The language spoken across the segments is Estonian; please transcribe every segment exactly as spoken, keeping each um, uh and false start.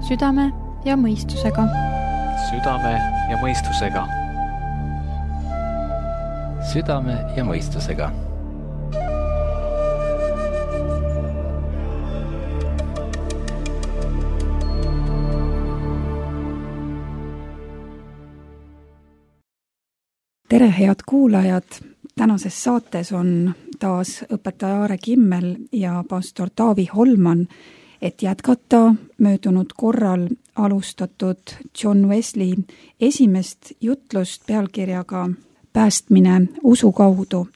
südame ja mõistusega. Südame ja mõistusega. Südame ja mõistusega. Tere, head kuulajad! Tänases saates on taas õpetaja Aare Kimmel ja pastor Taavi Holman, et jätkata möödunud korral alustatud John Wesley esimest jutlust pealkirjaga Päästmine usu kaudu.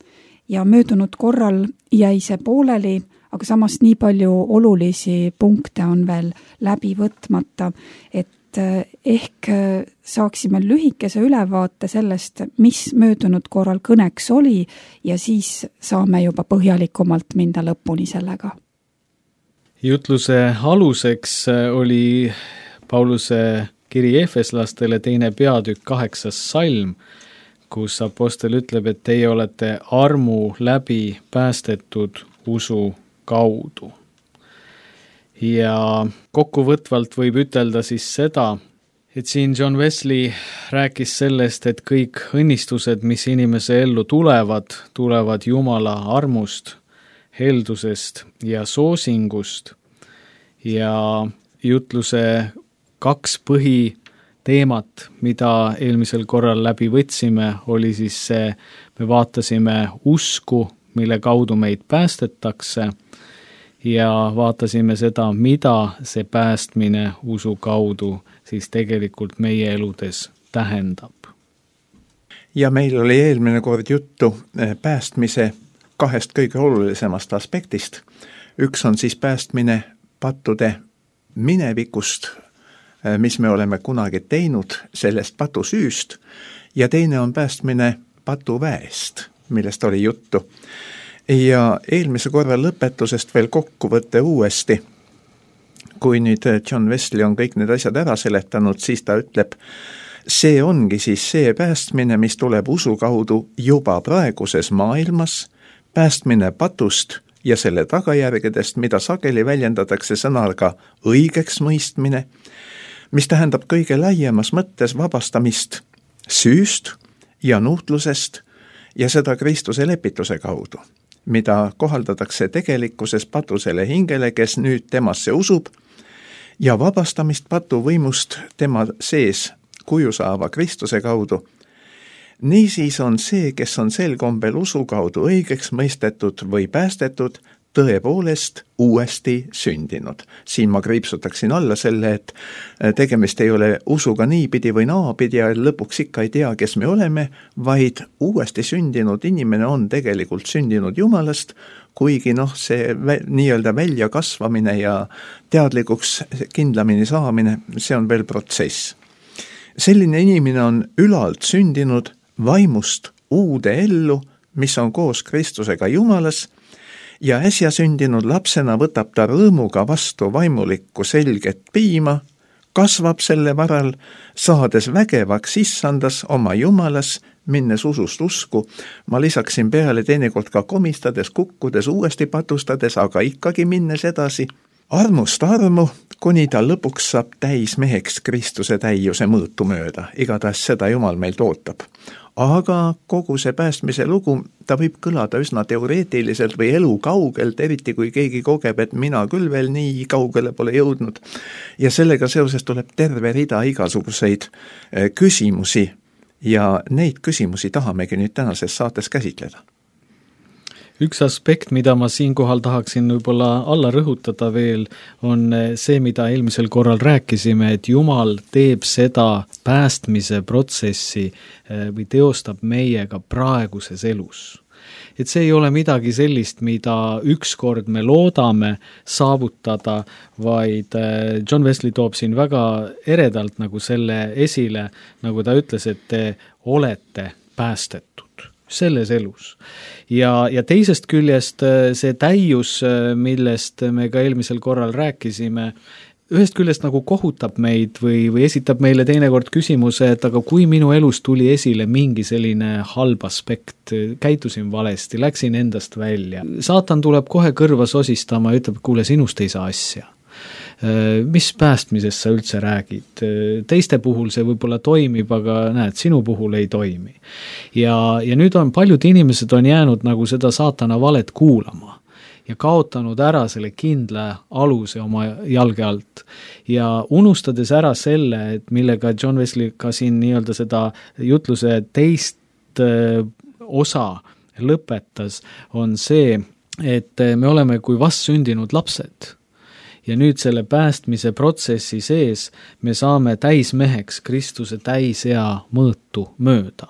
Ja möödunud korral jäi see pooleli, aga samas nii palju olulisi punkte on veel läbi võtmata, et ehk saaksime lühikese ülevaate sellest, mis möödunud korral kõneks oli ja siis saame juba põhjalikumalt minna lõpuni sellega. Jutluse aluseks oli Pauluse kiri Efeslastele teine peatükk kaheksas salm, kus apostel ütleb, et teie olete armu läbi päästetud usu kaudu. Ja kokkuvõtvalt võib ütelda siis seda, et siin John Wesley rääkis sellest, et kõik õnnistused, mis inimese ellu tulevad, tulevad Jumala armust, heldusest ja soosingust. Ja jutluse kaks põhiteemat, mida eelmisel korral läbi võtsime, oli siis see, me vaatasime usku, mille kaudu meid päästetakse, ja vaatasime seda, mida see päästmine usu kaudu siis tegelikult meie eludes tähendab. Ja meil oli eelmine kord juttu päästmise kahest kõige olulisemast aspektist. Üks on siis päästmine pattude minevikust, mis me oleme kunagi teinud sellest patusüüst, ja teine on päästmine patuväest, millest oli juttu. Ja eelmise korra lõpetusest veel kokkuvõtte uuesti. Kui nüüd John Wesley on kõik need asjad ära seletanud, siis ta ütleb, see ongi siis see päästmine, mis tuleb usu kaudu juba praeguses maailmas, päästmine patust ja selle tagajärgedest, mida sageli väljendatakse sõnaga õigeks mõistmine, mis tähendab kõige laiemas mõttes vabastamist süüst ja nuhtlusest ja seda Kristuse lepituse kaudu, mida kohaldatakse tegelikkuses patusele hingele, kes nüüd temasse usub, ja vabastamist patu võimust tema sees kuju saava Kristuse kaudu. Niisiis on see, kes on sel kombel usu kaudu õigeks mõistetud või päästetud, tõepoolest uuesti sündinud. Siin ma kriipsutaksin alla selle, et tegemist ei ole usuga niipidi või naapidi ja lõpuks ikka ei tea, kes me oleme, vaid uuesti sündinud inimene on tegelikult sündinud Jumalast, kuigi noh, see nii-öelda välja kasvamine ja teadlikuks kindlamini saamine, see on veel protsess. Selline inimene on ülalt sündinud vaimust uude ellu, mis on koos Kristusega Jumalas, ja äsja sündinud lapsena võtab ta rõõmuga vastu vaimulikku selget piima, kasvab selle varal, saades vägevaks issandas oma Jumalas, minnes usust usku. Ma lisaksin peale teinekord ka komistades, kukkudes, uuesti patustades, aga ikkagi minnes edasi. Armust armu, kuni ta lõpuks saab täis meheks Kristuse täiuse mõõtu mööda. Igatahes seda Jumal meilt ootab. Aga kogu see päästmise lugu, ta võib kõlada üsna teoreetiliselt või elu kaugelt, eriti kui keegi kogeb, et mina küll veel nii kaugele pole jõudnud. Ja sellega seoses tuleb terve rida igasuguseid küsimusi ja neid küsimusi tahamegi nüüd tänases saates käsitleda. Üks aspekt, mida ma siinkohal tahaksin võib-olla alla rõhutada veel, on see, mida eelmisel korral rääkisime, et Jumal teeb seda päästmise protsessi või teostab meiega praeguses elus. Et see ei ole midagi sellist, mida ükskord me loodame saavutada, vaid John Wesley toob siin väga eredalt nagu selle esile, nagu ta ütles, et te olete päästetud selles elus. Ja, ja teisest küljest see täius, millest me ka eelmisel korral rääkisime, ühest küljest nagu kohutab meid või, või esitab meile teinekord küsimuse, et aga kui minu elus tuli esile mingi selline halb aspekt, käitusin valesti, läksin endast välja. Saatan tuleb kohe kõrva sosistama ja ütleb, kuule, sinust ei saa asja. mis päästmisest sa üldse räägid? Teiste puhul see võib-olla toimib, aga näed, sinu puhul ei toimi. Ja, ja nüüd on paljud inimesed on jäänud nagu seda saatana valet kuulama ja kaotanud ära selle kindla aluse oma jalge alt ja unustades ära selle, et millega John Wesley ka siin nii-öelda seda jutluse teist osa lõpetas, on see, et me oleme kui vastsündinud lapsed. Ja nüüd selle päästmise protsessi sees me saame täismeheks Kristuse täisea mõõtu mööda.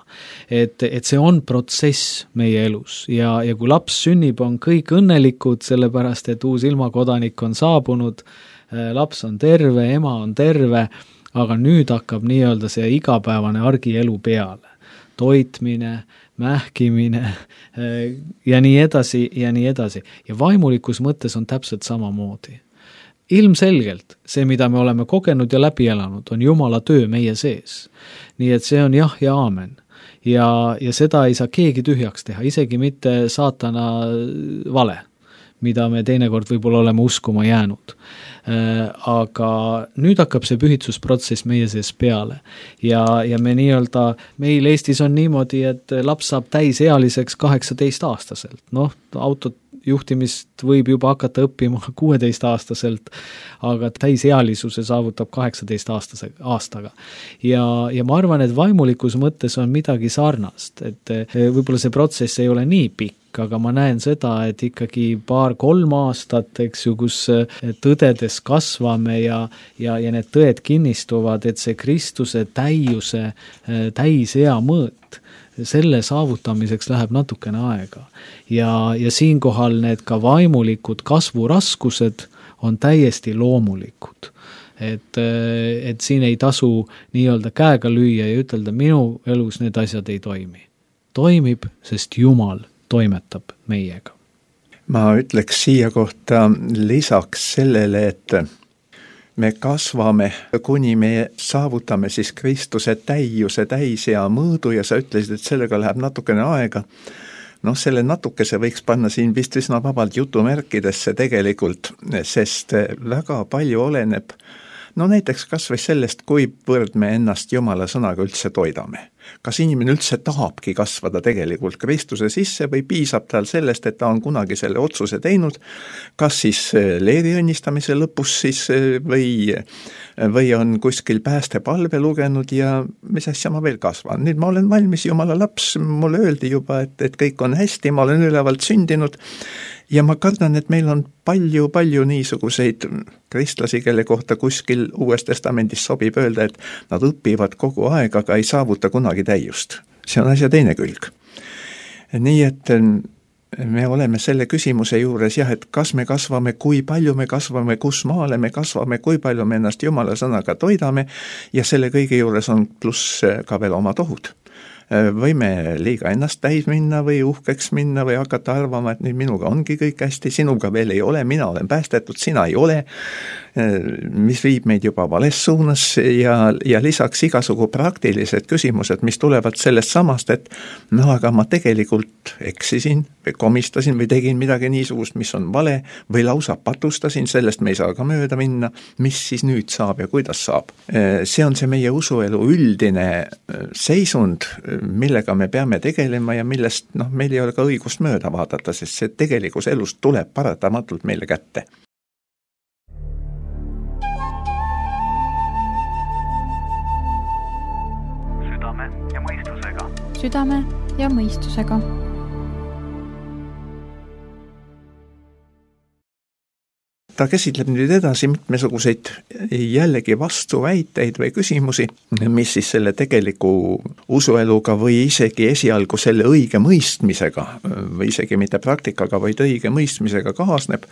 Et, et see on protsess meie elus ja, ja kui laps sünnib, on kõik õnnelikud, sellepärast et uus ilmakodanik on saabunud, laps on terve, ema on terve, aga nüüd hakkab nii-öelda see igapäevane argielu peale. Toitmine, mähkimine ja nii edasi ja nii edasi. Ja vaimulikus mõttes on täpselt samamoodi. Ilmselgelt see, mida me oleme kogenud ja läbi elanud, on Jumala töö meie sees. Nii et see on jah ja aamen. Ja, ja seda ei saa keegi tühjaks teha, isegi mitte saatana vale, mida me teinekord võib-olla oleme uskuma jäänud. Aga nüüd hakkab see pühitsusprotsess meie sees peale. Ja, ja me nii-öelda, meil Eestis on niimoodi, et laps saab täisealiseks kaheksateist aastaselt. Noh, autot juhtimist võib juba hakata õppima kuueteist aastaselt, aga täisealisuse saavutab kaheksateist aastase, aastaga. Ja, ja ma arvan, et vaimulikus mõttes on midagi sarnast, et võib-olla see protsess ei ole nii pikk, aga ma näen seda, et ikkagi paar-kolm aastat, eks ju, kus tõdedes kasvame ja, ja, ja need tõed kinnistuvad, et see Kristuse täiuse, täisea mõõt, selle saavutamiseks läheb natukene aega. Ja, ja siinkohal need ka vaimulikud kasvuraskused on täiesti loomulikud. Et, et siin ei tasu nii-öelda käega lüüa ja ütelda, minu elus need asjad ei toimi. Toimib, sest Jumal toimetab meiega. Ma ütleks siia kohta lisaks sellele, et me kasvame, kuni me saavutame siis Kristuse täiuse, täisea mõõdu ja sa ütlesid, et sellega läheb natukene aega. Noh, selle natukese võiks panna siin vist üsna vabalt jutumärkidesse tegelikult, sest väga palju oleneb, no näiteks kas või sellest, kuivõrd me ennast Jumala sõnaga üldse toidame. Kas inimene üldse tahabki kasvada tegelikult Kristuse sisse või piisab tal sellest, et ta on kunagi selle otsuse teinud, kas siis leeri õnnistamise lõpus siis või, või on kuskil päästepalve lugenud ja mis asja ma veel kasvan. Nüüd ma olen valmis Jumala laps, mulle öeldi juba, et, et kõik on hästi, ma olen ülevalt sündinud ja ma kardan, et meil on palju-palju niisuguseid kristlasi, kelle kohta kuskil Uues Testamendis sobib öelda, et nad õpivad kogu aeg, aga ei saavuta kunagi täiust. See on asja teine külg. Nii et me oleme selle küsimuse juures jah, et kas me kasvame, kui palju me kasvame, kus maale me kasvame, kui palju me ennast Jumala sõnaga toidame ja selle kõige juures on pluss ka veel oma tohud. Võime liiga ennast täis minna või uhkeks minna või hakata arvama, et nüüd minuga ongi kõik hästi, sinuga veel ei ole, mina olen päästetud, sina ei ole, mis viib meid juba vales suunas ja, ja lisaks igasugu praktilised küsimused, mis tulevad sellest samast, et no aga ma tegelikult eksisin või komistasin või tegin midagi niisugust, mis on vale või lausa patustasin, sellest me ei saa ka mööda minna, mis siis nüüd saab ja kuidas saab. See on see meie usuelu üldine seisund, millega me peame tegelema ja millest noh, meil ei ole ka õigust mööda vaadata, sest see tegelikus elust tuleb paratamatult meile kätte. Südame ja mõistusega. Südame ja mõistusega. Ta käsitleb nüüd edasi mitmesuguseid jällegi vastuväiteid või küsimusi, mis siis selle tegeliku usueluga või isegi esialgu selle õige mõistmisega või isegi mitte praktikaga, vaid õige mõistmisega kaasneb.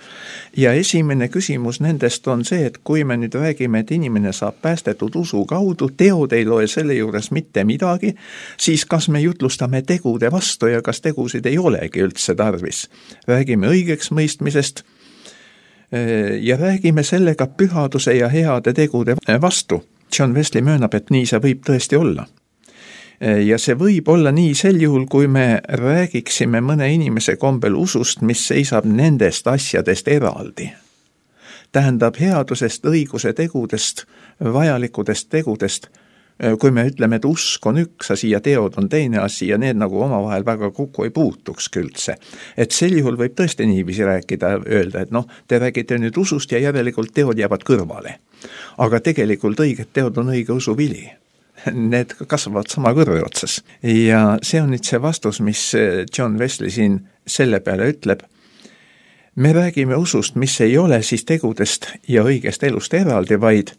Ja esimene küsimus nendest on see, et kui me nüüd räägime, et inimene saab päästetud usu kaudu, teod ei loe selle juures mitte midagi, siis kas me jutlustame tegude vastu ja kas tegusid ei olegi üldse tarvis. Räägime õigeks mõistmisest ja räägime sellega pühaduse ja heade tegude vastu. John Wesley möönab, et nii see võib tõesti olla. Ja see võib olla nii sel juhul, kui me räägiksime mõne inimese kombel usust, mis seisab nendest asjadest eraldi. tähendab headusest, õiguse tegudest, vajalikudest tegudest. Kui me ütleme, et usk on üks asi ja teod on teine asi ja need nagu omavahel väga kokku ei puutukski üldse. Et sel juhul võib tõesti niiviisi rääkida, öelda, et noh, te räägite nüüd usust ja järelikult teod jäävad kõrvale. Aga tegelikult õiged teod on õige usu vili. Need kasvavad sama kõrve otsas. Ja see on nüüd see vastus, mis John Wesley siin selle peale ütleb. Me räägime usust, mis ei ole siis tegudest ja õigest elust eraldi, vaid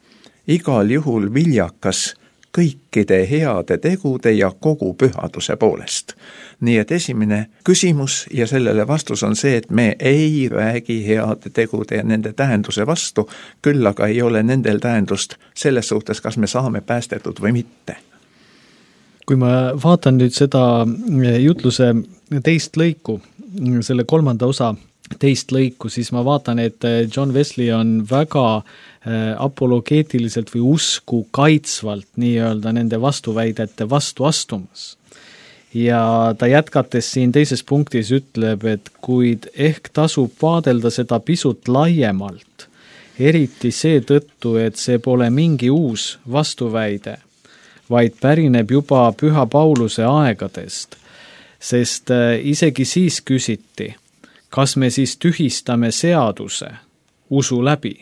igal juhul viljakas kõikide heade tegude ja kogu pühaduse poolest. Nii et esimene küsimus ja sellele vastus on see, et me ei räägi heade tegude ja nende tähenduse vastu, küll aga ei ole nendel tähendust selles suhtes, kas me saame päästetud või mitte. Kui ma vaatan nüüd seda jutluse teist lõiku, selle kolmanda osa teist lõiku, siis ma vaatan, et John Wesley on väga apologeetiliselt või usku kaitsvalt nii-öelda nende vastuväidete vastu astumas. Ja ta jätkates siin teises punktis ütleb, et kuid ehk tasub vaadelda seda pisut laiemalt, eriti seetõttu, et see pole mingi uus vastuväide, vaid pärineb juba Püha Pauluse aegadest, sest isegi siis küsiti, kas me siis tühistame seaduse usu läbi.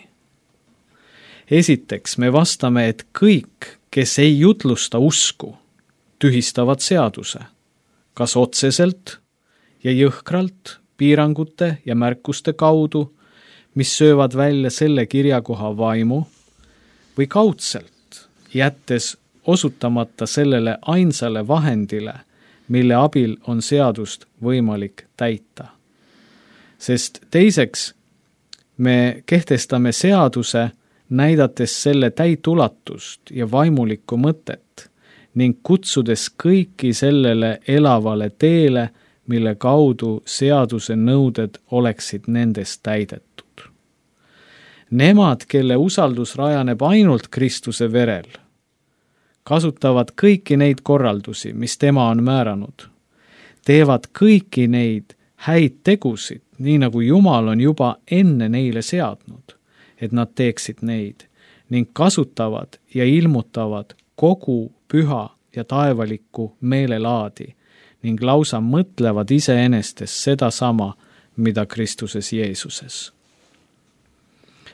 Esiteks me vastame, et kõik, kes ei jutlusta usku, tühistavad seaduse, kas otseselt ja jõhkralt piirangute ja märkuste kaudu, mis söövad välja selle kirjakoha vaimu, või kaudselt, jättes osutamata sellele ainsale vahendile, mille abil on seadust võimalik täita. Sest teiseks me kehtestame seaduse, näidates selle täit ulatust ja vaimulikku mõtet ning kutsudes kõiki sellele elavale teele, mille kaudu seaduse nõuded oleksid nendest täidetud. Nemad, kelle usaldus rajaneb ainult Kristuse verel, kasutavad kõiki neid korraldusi, mis tema on määranud, teevad kõiki neid häid tegusid, nii nagu Jumal on juba enne neile seadnud, et nad teeksid neid ning kasutavad ja ilmutavad kogu püha ja taevalikku meelelaadi ning lausa mõtlevad iseenestes seda sama, mida Kristuses Jeesuses.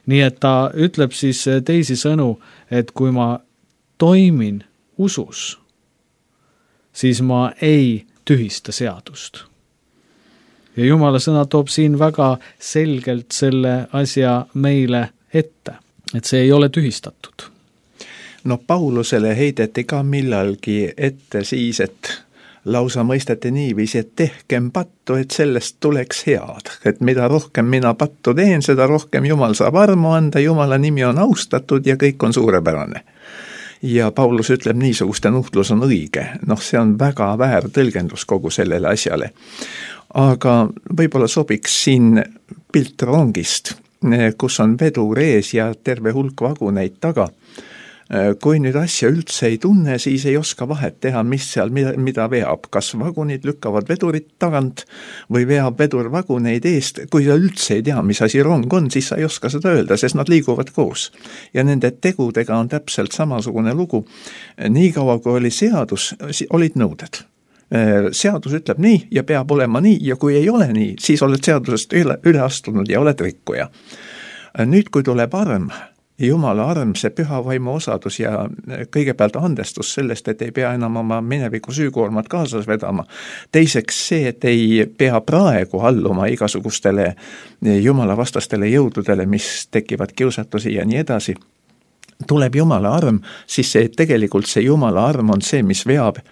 Nii et ta ütleb siis teisi sõnu, et kui ma toimin usus, siis ma ei tühista seadust. Ja Jumala sõna toob siin väga selgelt selle asja meile ette, et see ei ole tühistatud. No Paulusele heideti ka millalgi ette siis, et lausa mõisteti niiviisi, et tehkem pattu, et sellest tuleks head. Et mida rohkem mina pattu teen, seda rohkem Jumal saab armu anda, Jumala nimi on austatud ja kõik on suurepärane. Ja Paulus ütleb, niisuguste nuhtlus on õige. Noh, see on väga väär tõlgendus kogu sellele asjale. Aga võib-olla sobiks siin pilt rongist, kus on vedur ees ja terve hulk vaguneid taga. Kui nüüd asja üldse ei tunne, siis ei oska vahet teha, mis seal, mida, mida veab. Kas vagunid lükkavad vedurit tagant või veab vedur vaguneid eest. Kui sa üldse ei tea, mis asi rong on, siis sa ei oska seda öelda, sest nad liiguvad koos. Ja nende tegudega on täpselt samasugune lugu. Nii kaua, kui oli seadus, olid nõuded. Seadus ütleb nii ja peab olema nii ja kui ei ole nii, siis oled seadusest üle, üle astunud ja oled rikkuja. Nüüd, kui tuleb arm, Jumala arm, see püha vaimu osadus ja kõigepealt andestus sellest, et ei pea enam oma mineviku süükoormat kaasas vedama. Teiseks see, et ei pea praegu alluma igasugustele Jumala vastastele jõududele, mis tekivad kiusatusi ja nii edasi. Tuleb Jumala arm, siis see, tegelikult see Jumala arm on see, mis veab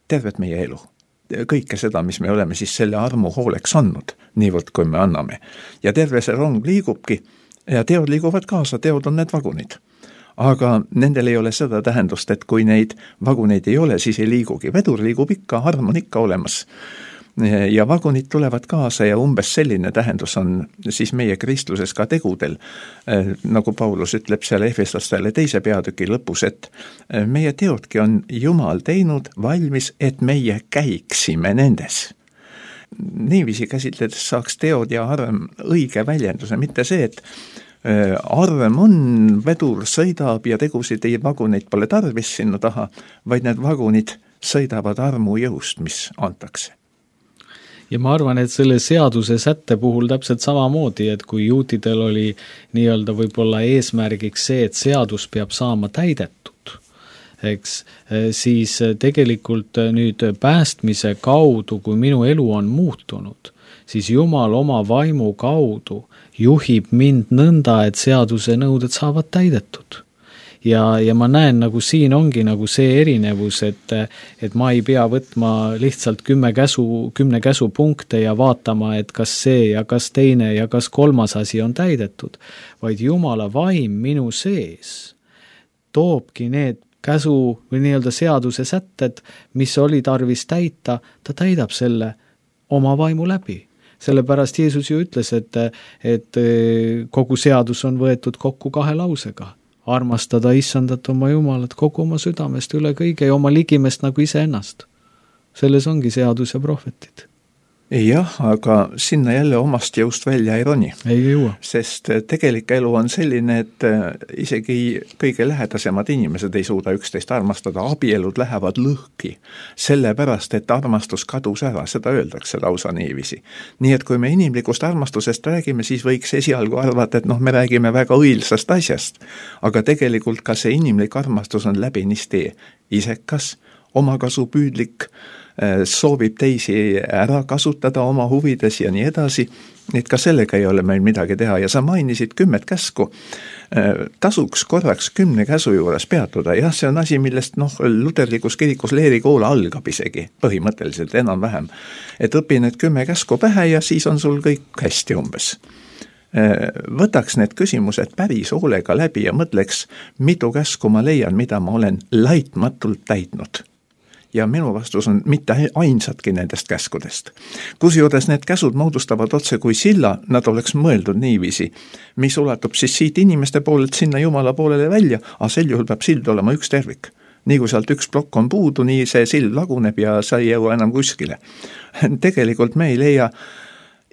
tervet meie elu. Kõike seda, mis me oleme siis selle armu hooleks andnud, niivõrd kui me anname. Ja terve see rong liigubki ja teod liiguvad kaasa, teod on need vagunid. Aga nendel ei ole seda tähendust, et kui neid vaguneid ei ole, siis ei liigugi. Vedur liigub ikka, arm on ikka olemas. Ja vagunid tulevad kaasa ja umbes selline tähendus on siis meie kristluses ka tegudel. Nagu Paulus ütleb seal Efeslastele teise peatüki lõpus, et meie teodki on Jumal teinud valmis, et meie käiksime nendes. Niiviisi käsitledes saaks teod ja arm õige väljenduse, mitte see, et arm on, vedur sõidab ja tegusid ei vaguneid pole tarvis sinna taha, vaid need vagunid sõidavad armu jõust, mis antakse. Ja ma arvan, et selle seaduse sätte puhul täpselt samamoodi, et kui juutidel oli nii-öelda võib-olla eesmärgiks see, et seadus peab saama täidetud, eks, siis tegelikult nüüd päästmise kaudu, kui minu elu on muutunud, siis Jumal oma vaimu kaudu juhib mind nõnda, et seaduse nõuded saavad täidetud. Ja, ja ma näen, nagu siin ongi nagu see erinevus, et, et ma ei pea võtma lihtsalt kümme käsu, kümne käsu punkte ja vaatama, et kas see ja kas teine ja kas kolmas asi on täidetud, vaid Jumala vaim minu sees toobki need käsu või nii-öelda seaduse sätted, mis oli tarvis täita, ta täidab selle oma vaimu läbi. Sellepärast Jeesus ju ütles, et, et kogu seadus on võetud kokku kahe lausega. Armastada issandat oma Jumalat kogu oma südamest üle kõige ja oma ligimest nagu iseennast. Selles ongi seadus ja prohvetid. Jah, aga sinna jälle omast jõust välja ei roni. Ei jõua. Sest tegelik elu on selline, et isegi kõige lähedasemad inimesed ei suuda üksteist armastada, abielud lähevad lõhki, sellepärast, et armastus kadus ära, seda öeldakse lausa niiviisi. Nii et kui me inimlikust armastusest räägime, siis võiks esialgu arvata, et noh, me räägime väga õilsast asjast, aga tegelikult ka see inimlik armastus on läbinisti isekas, omakasupüüdlik, soovib teisi ära kasutada oma huvides ja nii edasi, et ka sellega ei ole meil midagi teha ja sa mainisid kümmet käsku. Tasuks korraks kümne käsu juures peatuda, jah, see on asi, millest noh, luterlikus kirikus leerikool algab isegi, põhimõtteliselt enam-vähem, et õpi need kümme käsku pähe ja siis on sul kõik hästi umbes. Võtaks need küsimused päris hoolega läbi ja mõtleks, mitu käsku ma leian, mida ma olen laitmatult täitnud. Ja minu vastus on mitte ainsatki nendest käskudest. Kusjuures need käsud moodustavad otse kui silla, nad oleks mõeldud niiviisi, mis ulatub siis siit inimeste poolelt sinna Jumala poolele välja, aga sel juhul peab sild olema üks tervik. Nii kui sealt üks plokk on puudu, nii see sild laguneb ja sa ei jõua enam kuskile. Tegelikult me ei leia,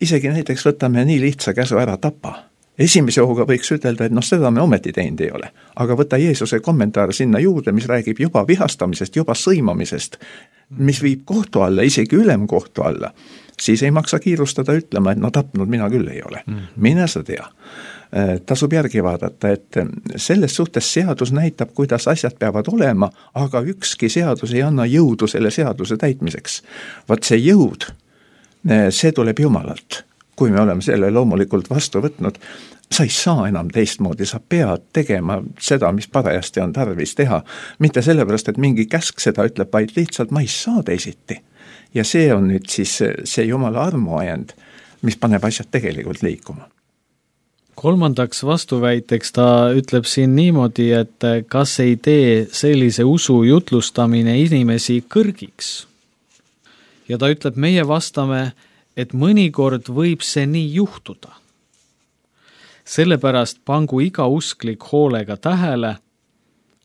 isegi näiteks võtame nii lihtsa käsu ära tapa. Esimese hooga võiks ütelda, et noh, seda me ometi teinud ei ole. Aga võta Jeesuse kommentaar sinna juurde, mis räägib juba vihastamisest, juba sõimamisest, mis viib kohtu alla, isegi ülemkohtu alla, siis ei maksa kiirustada ütlema, et no tapnud mina küll ei ole. Mine sa tea. Tasub järgi vaadata, et selles suhtes seadus näitab, kuidas asjad peavad olema, aga ükski seadus ei anna jõudu selle seaduse täitmiseks. Vaat see jõud, see tuleb Jumalalt. Kui me oleme selle loomulikult vastu võtnud, sa ei saa enam teistmoodi, sa pead tegema seda, mis parajasti on tarvis teha. Mitte sellepärast, et mingi käsk seda ütleb, vaid lihtsalt ma ei saa teisiti. Ja see on nüüd siis see Jumala armuajend, mis paneb asjad tegelikult liikuma. Kolmandaks vastuväiteks ta ütleb siin niimoodi, et kas ei tee sellise usu jutlustamine inimesi kõrgiks. Ja ta ütleb, meie vastame, et mõnikord võib see nii juhtuda. Sellepärast pangu iga usklik hoolega tähele,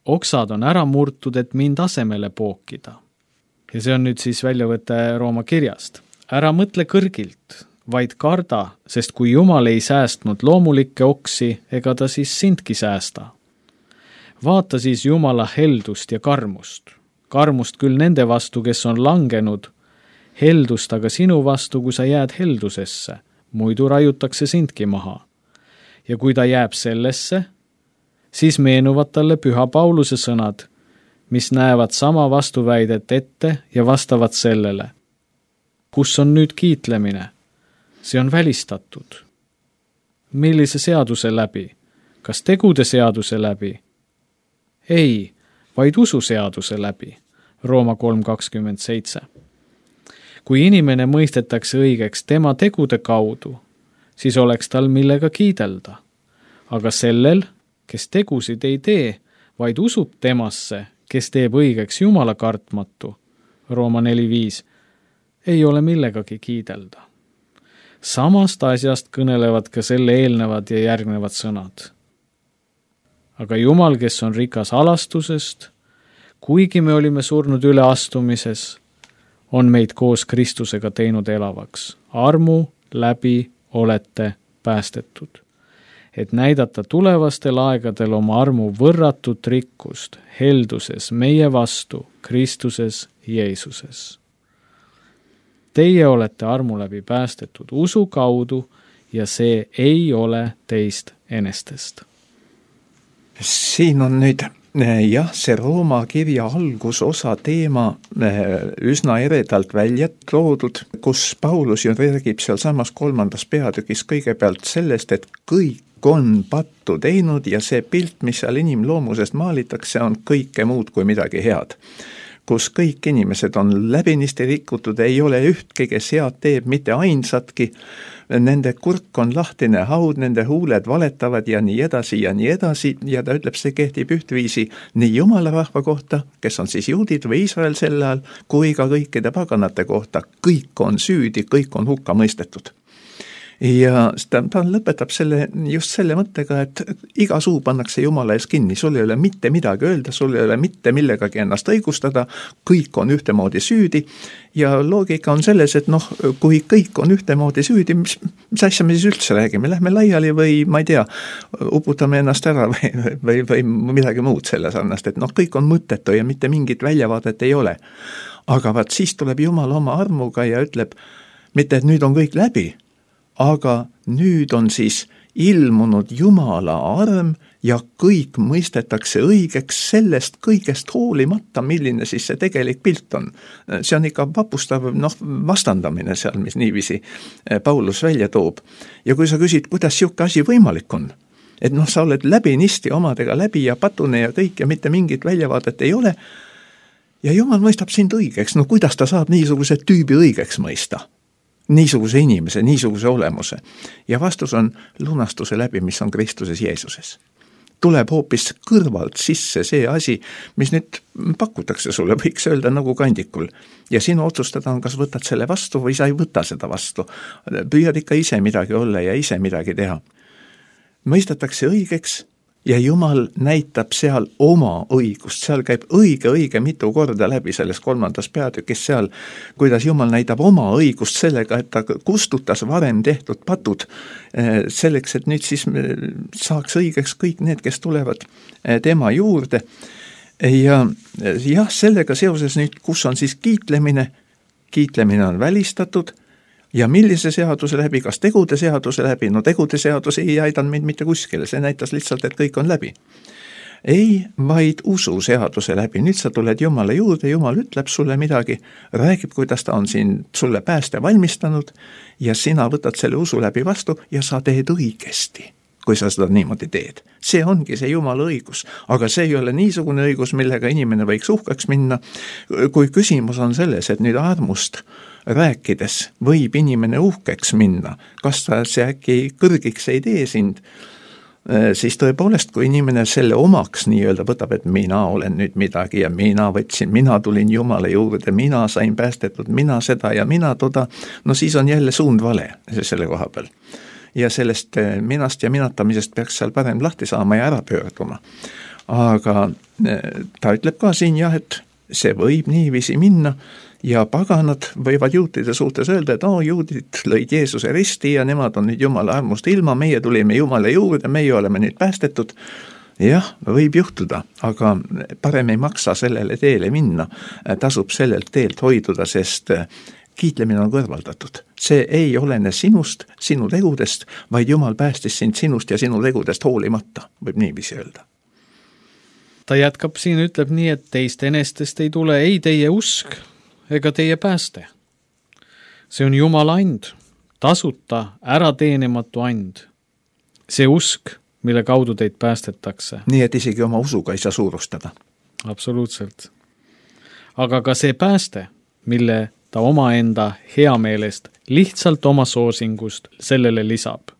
oksad on ära murtud, et mind asemele pookida. Ja see on nüüd siis väljavõte Rooma kirjast. Ära mõtle kõrgilt, vaid karda, sest kui Jumal ei säästnud loomulikke oksi, ega ta siis sindki säästa. Vaata siis Jumala heldust ja karmust. Karmust küll nende vastu, kes on langenud, heldust aga sinu vastu, kui sa jääd heldusesse, muidu raiutakse sindki maha. Ja kui ta jääb sellesse, siis meenuvad talle Püha Pauluse sõnad, mis näevad sama vastuväidet ette ja vastavad sellele. Kus on nüüd kiitlemine? See on välistatud. Millise seaduse läbi? Kas tegude seaduse läbi? Ei, vaid ususeaduse läbi. Rooma kolm kakskümmend seitse. Kui inimene mõistetakse õigeks tema tegude kaudu, siis oleks tal millega kiidelda. Aga sellel, kes tegusid ei tee, vaid usub temasse, kes teeb õigeks Jumala kartmatu, Rooma neli viis, ei ole millegagi kiidelda. Samast asjast kõnelevad ka selle eelnevad ja järgnevad sõnad. Aga Jumal, kes on rikas alastusest, kuigi me olime surnud üle astumises, on meid koos Kristusega teinud elavaks. Armu läbi olete päästetud. et näidata tulevastel aegadel oma armu võrratut rikkust helduses meie vastu Kristuses Jeesuses. Teie olete armu läbi päästetud usu kaudu ja see ei ole teist enestest. Siin on nüüd jah, see Rooma kirja algusosa teema üsna eredalt välja toodud, kus Paulus ju räägib seal samas kolmandas peatükis kõigepealt sellest, et kõik on pattu teinud ja see pilt, mis seal inimloomusest maalitakse, on kõike muud kui midagi head. Kus kõik inimesed on läbinisti rikutud, ei ole ühtki, kes head teeb, mitte ainsatki, nende kurk on lahtine haud, nende huuled valetavad ja nii edasi ja nii edasi ja ta ütleb, see kehtib ühtviisi nii Jumala rahva kohta, kes on siis juudid või Iisrael sel ajal, kui ka kõikide paganate kohta. Kõik on süüdi, kõik on hukka mõistetud. Ja ta, ta lõpetab selle, just selle mõttega, et iga suu pannakse Jumala ees kinni, sul ei ole mitte midagi öelda, sul ei ole mitte millegagi ennast õigustada, kõik on ühtemoodi süüdi ja loogika on selles, et noh, kui kõik on ühtemoodi süüdi, mis, mis asja me siis üldse räägime, lähme laiali või ma ei tea, uputame ennast ära või, või, või midagi muud selle sarnast, et noh, kõik on mõttetu ja mitte mingit väljavaadet ei ole. Aga vaat siis tuleb Jumal oma armuga ja ütleb, mitte et nüüd on kõik läbi, aga nüüd on siis ilmunud Jumala arm ja kõik mõistetakse õigeks sellest kõigest hoolimata, milline siis see tegelik pilt on. See on ikka vapustav noh, vastandamine seal, mis niiviisi Paulus välja toob. Ja kui sa küsid, kuidas siuke asi võimalik on, et noh, sa oled läbinisti omadega läbi ja patune ja kõik ja mitte mingit väljavaadet ei ole ja Jumal mõistab sind õigeks, no kuidas ta saab niisuguse tüübi õigeks mõista? Niisuguse inimese, niisuguse olemuse. Ja vastus on lunastuse läbi, mis on Kristuses Jeesuses. Tuleb hoopis kõrvalt sisse see asi, mis nüüd pakutakse sulle, võiks öelda nagu kandikul. Ja sinu otsustada on, kas võtad selle vastu või sa ei võta seda vastu. Püüad ikka ise midagi olla ja ise midagi teha. Mõistetakse õigeks ja Jumal näitab seal oma õigust, seal käib õige, õige mitu korda läbi selles kolmandas peatükis seal, kuidas Jumal näitab oma õigust sellega, et ta kustutas varem tehtud patud selleks, et nüüd siis saaks õigeks kõik need, kes tulevad tema juurde. Ja jah, sellega seoses nüüd, kus on siis kiitlemine, kiitlemine on välistatud, ja millise seaduse läbi, kas tegude seaduse läbi, no tegude seadus ei aidanud meid mitte kuskile, see näitas lihtsalt, et kõik on läbi. Ei, vaid usu seaduse läbi, nüüd sa tuled Jumala juurde, Jumal ütleb sulle midagi, räägib, kuidas ta on siin sulle pääste valmistanud ja sina võtad selle usu läbi vastu ja sa teed õigesti, kui sa seda niimoodi teed. See ongi see Jumala õigus, aga see ei ole niisugune õigus, millega inimene võiks uhkeks minna, kui küsimus on selles, et nüüd armust rääkides võib inimene uhkeks minna, kas ta see äkki kõrgiks ei tee sind, siis tõepoolest, kui inimene selle omaks nii-öelda võtab, et mina olen nüüd midagi ja mina võtsin, mina tulin Jumala juurde, mina sain päästetud, mina seda ja mina toda, no siis on jälle suund vale selle koha peal. Ja sellest minast ja minatamisest peaks seal parem lahti saama ja ära pöörduma. Aga ta ütleb ka siin jah, et see võib niiviisi minna, ja paganad võivad juutide suhtes öelda, et oo, juudid lõid Jeesuse risti ja nemad on nüüd Jumala armust ilma, meie tulime Jumala juurde, meie oleme nüüd päästetud. Jah, võib juhtuda, aga parem ei maksa sellele teele minna, tasub sellelt teelt hoiduda, sest kiitlemine on kõrvaldatud. See ei olene sinust, sinu tegudest, vaid Jumal päästis sind sinust ja sinu tegudest hoolimata, võib niiviisi öelda. Ta jätkab siin, ütleb nii, et teist enestest ei tule ei teie usk, ega teie pääste. See on Jumala and, tasuta, ärateenimatu and. See usk, mille kaudu teid päästetakse. Nii, et isegi oma usuga ei saa suurustada. Absoluutselt. Aga ka see pääste, mille ta omaenda heameelest, lihtsalt oma soosingust sellele lisab.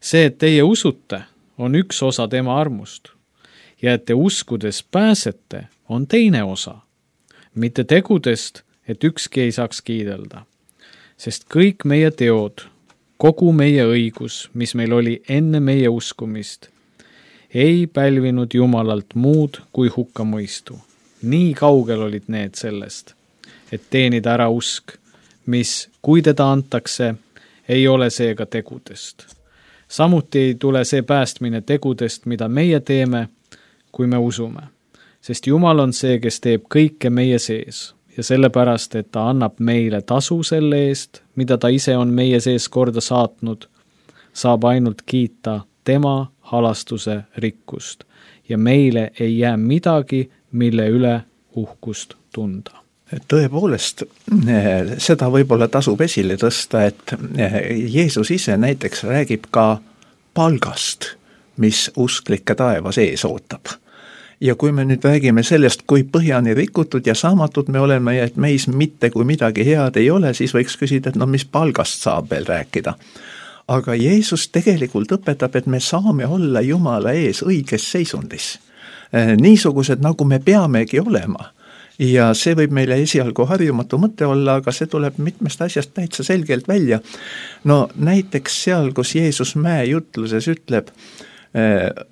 See, et teie usute, on üks osa tema armust. Ja et te uskudes pääsete, on teine osa. Mitte tegudest, et ükski ei saaks kiidelda. Sest kõik meie teod, kogu meie õigus, mis meil oli enne meie uskumist, ei pälvinud Jumalalt muud kui hukkamõistu. Nii kaugel olid need sellest, et teenida ära usk, mis, kui teda antakse, ei ole seega tegudest. samuti ei tule see päästmine tegudest, mida meie teeme, kui me usume. Sest Jumal on see, kes teeb kõike meie sees ja sellepärast, et ta annab meile tasu selle eest, mida ta ise on meie sees korda saatnud, saab ainult kiita tema halastuse rikkust ja meile ei jää midagi, mille üle uhkust tunda. Tõepoolest, seda võib-olla tasub esile tõsta, et Jeesus ise näiteks räägib ka palgast, mis usklikke taevas ees ootab. Ja kui me nüüd räägime sellest, kui põhjani rikutud ja saamatud me oleme ja et meis mitte kui midagi head ei ole, siis võiks küsida, et no mis palgast saab veel rääkida. Aga Jeesus tegelikult õpetab, et me saame olla Jumala ees õiges seisundis. Niisugused, nagu me peamegi olema. Ja see võib meile esialgu harjumatu mõte olla, aga see tuleb mitmest asjast täitsa selgelt välja. No näiteks seal, kus Jeesus mäejutluses ütleb,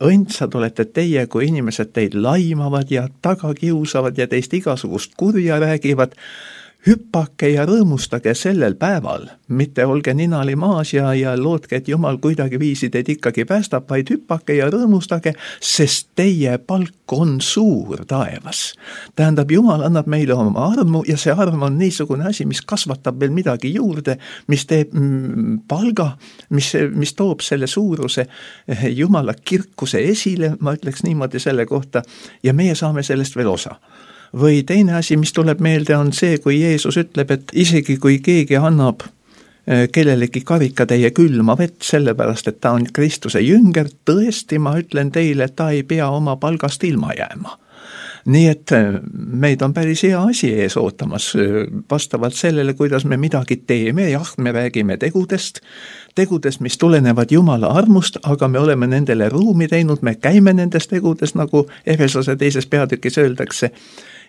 õndsad olete teie, kui inimesed teid laimavad ja taga kiusavad ja teist igasugust kurja räägivad, hüppake ja rõõmustage sellel päeval, mitte olge ninali maas ja, ja lootke, et Jumal kuidagi viisi teid ikkagi päästab, vaid hüppake ja rõõmustage, sest teie palk on suur taevas. Tähendab, Jumal annab meile oma armu ja see arm on niisugune asi, mis kasvatab veel midagi juurde, mis teeb mm, palga, mis, mis toob selle suuruse Jumala kirkuse esile, ma ütleks niimoodi selle kohta, ja meie saame sellest veel osa. Või teine asi, mis tuleb meelde, on see, kui Jeesus ütleb, et isegi kui keegi annab kellelegi karikatäie külma vett, sellepärast, et ta on Kristuse jünger, tõesti ma ütlen teile, et ta ei pea oma palgast ilma jääma. Nii et meid on päris hea asi ees ootamas, vastavalt sellele, kuidas me midagi teeme, jah, me räägime tegudest, tegudest, mis tulenevad Jumala armust, aga me oleme nendele ruumi teinud, me käime nendes tegudes, nagu Efesose teises peatükis öeldakse,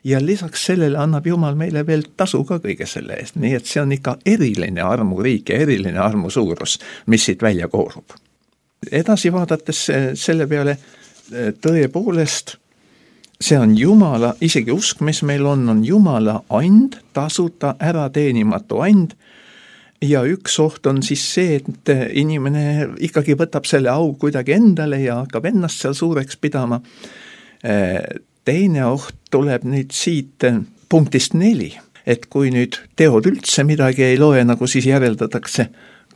ja lisaks sellele annab Jumal meile veel tasu ka kõige selle eest, nii et see on ikka eriline armuriik ja eriline armu suurus, mis siit välja koorub. Edasi vaadates selle peale tõepoolest, see on Jumala, isegi usk, mis meil on, on Jumala and, tasuta ära teenimatu and, ja üks oht on siis see, et inimene ikkagi võtab selle au kuidagi endale ja hakkab ennast seal suureks pidama. Teine oht tuleb nüüd siit punktist neli, et kui nüüd teod üldse midagi ei loe, nagu siis järeldatakse,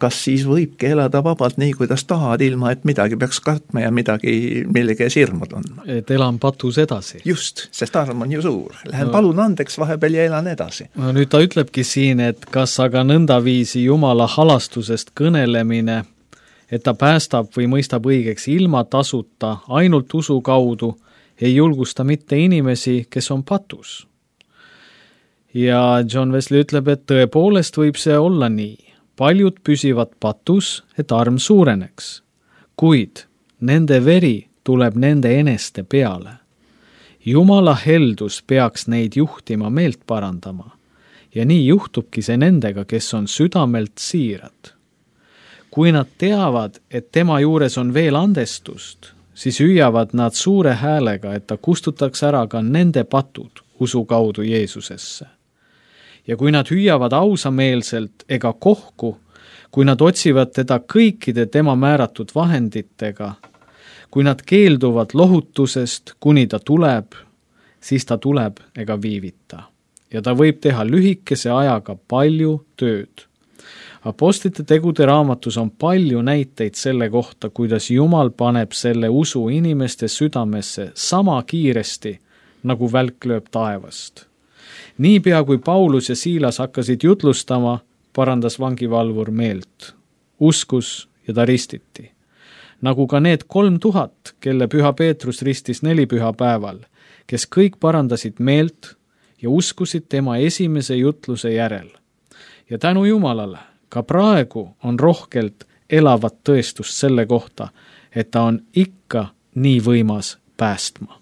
kas siis võibki elada vabalt nii, kuidas tahad, ilma et midagi peaks kartma ja midagi, millega sirmud on. Et elan patus edasi. Just, sest arm on ju suur. Lähen no. palun andeks vahepeal ja elan edasi. No nüüd ta ütlebki siin, et kas aga nõndaviisi Jumala halastusest kõnelemine, et ta päästab või mõistab õigeks ilma tasuta, ainult usu kaudu, ei julgusta mitte inimesi, kes on patus. Ja John Wesley ütleb, et tõepoolest võib see olla nii. Paljud püsivad patus, et arm suureneks, kuid nende veri tuleb nende eneste peale. Jumala heldus peaks neid juhtima meelt parandama ja nii juhtubki see nendega, kes on südamelt siirad. Kui nad teavad, et tema juures on veel andestust, siis hüüavad nad suure häälega, et ta kustutaks ära ka nende patud usu kaudu Jeesusesse. Ja kui nad hüüavad ausameelselt ega kohku, kui nad otsivad teda kõikide tema määratud vahenditega, kui nad keelduvad lohutusest, kuni ta tuleb, siis ta tuleb ega viivita. Ja ta võib teha lühikese ajaga palju tööd. Apostlite tegude raamatus on palju näiteid selle kohta, kuidas Jumal paneb selle usu inimeste südamesse sama kiiresti, nagu välk lööb taevast. Niipea kui Paulus ja Siilas hakkasid jutlustama, parandas vangivalvur meelt. Uskus ja ta ristiti. Nagu ka need kolm tuhat, kelle Püha Peetrus ristis nelipüha päeval, kes kõik parandasid meelt ja uskusid tema esimese jutluse järel. Ja tänu Jumalale, ka praegu on rohkelt elavat tõestust selle kohta, et ta on ikka nii võimas päästma.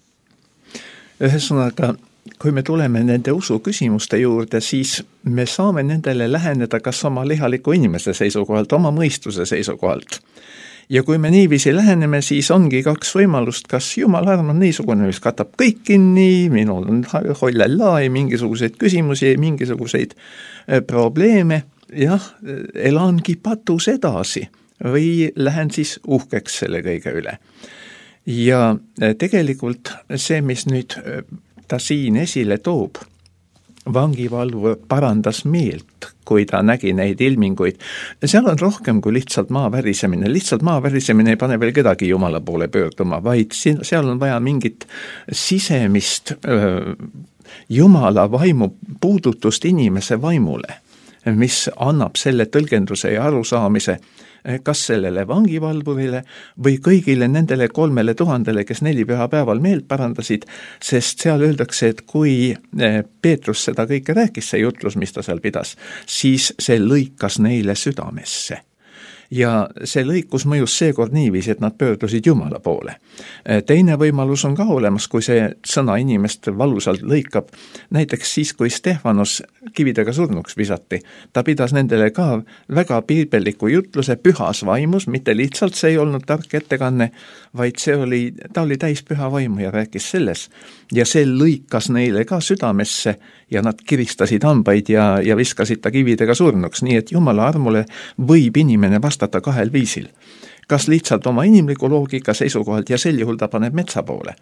Ühesõnaga, kui me tuleme nende usu küsimuste juurde, siis me saame nendele läheneda kas oma lihaliku inimese seisukohalt, oma mõistuse seisukohalt. Ja kui me niiviisi läheneme, siis ongi kaks võimalust, kas Jumala arm on niisugune, mis katab kõik kinni, minul on hollella, ei mingisuguseid küsimusi, ei mingisuguseid probleeme, jah, elangi patus edasi, või lähen siis uhkeks selle kõige üle. Ja tegelikult see, mis nüüd ta siin esile toob, vangivalvur parandas meelt, kui ta nägi neid ilminguid. Seal on rohkem kui lihtsalt maa värisemine. Lihtsalt maa värisemine ei pane veel kedagi Jumala poole pöörduma, vaid seal on vaja mingit sisemist öö, Jumala vaimu puudutust inimese vaimule, mis annab selle tõlgenduse ja arusaamise, kas sellele vangivalvurile või kõigile nendele kolmele tuhandele, kes neli pühapäeval meelt parandasid, sest seal öeldakse, et kui Peetrus seda kõike rääkis, see jutlus, mis ta seal pidas, siis see lõikas neile südamesse. Ja see lõikus mõjus seekord niiviisi, et nad pöördusid Jumala poole. Teine võimalus on ka olemas, kui see sõna inimest valusalt lõikab. Näiteks siis, kui Stefanos kividega surnuks visati, ta pidas nendele ka väga piibelliku jutluse pühas vaimus, mitte lihtsalt see ei olnud tark ettekanne, vaid see oli, ta oli täis püha vaimu ja rääkis selles. Ja see lõikas neile ka südamesse ja nad kiristasid hambaid ja, ja viskasid ta kividega surnuks, nii et Jumala armule võib inimene vastata kahel viisil. Kas lihtsalt oma inimliku loogika seisukohalt ja sel juhul ta paneb metsa poole,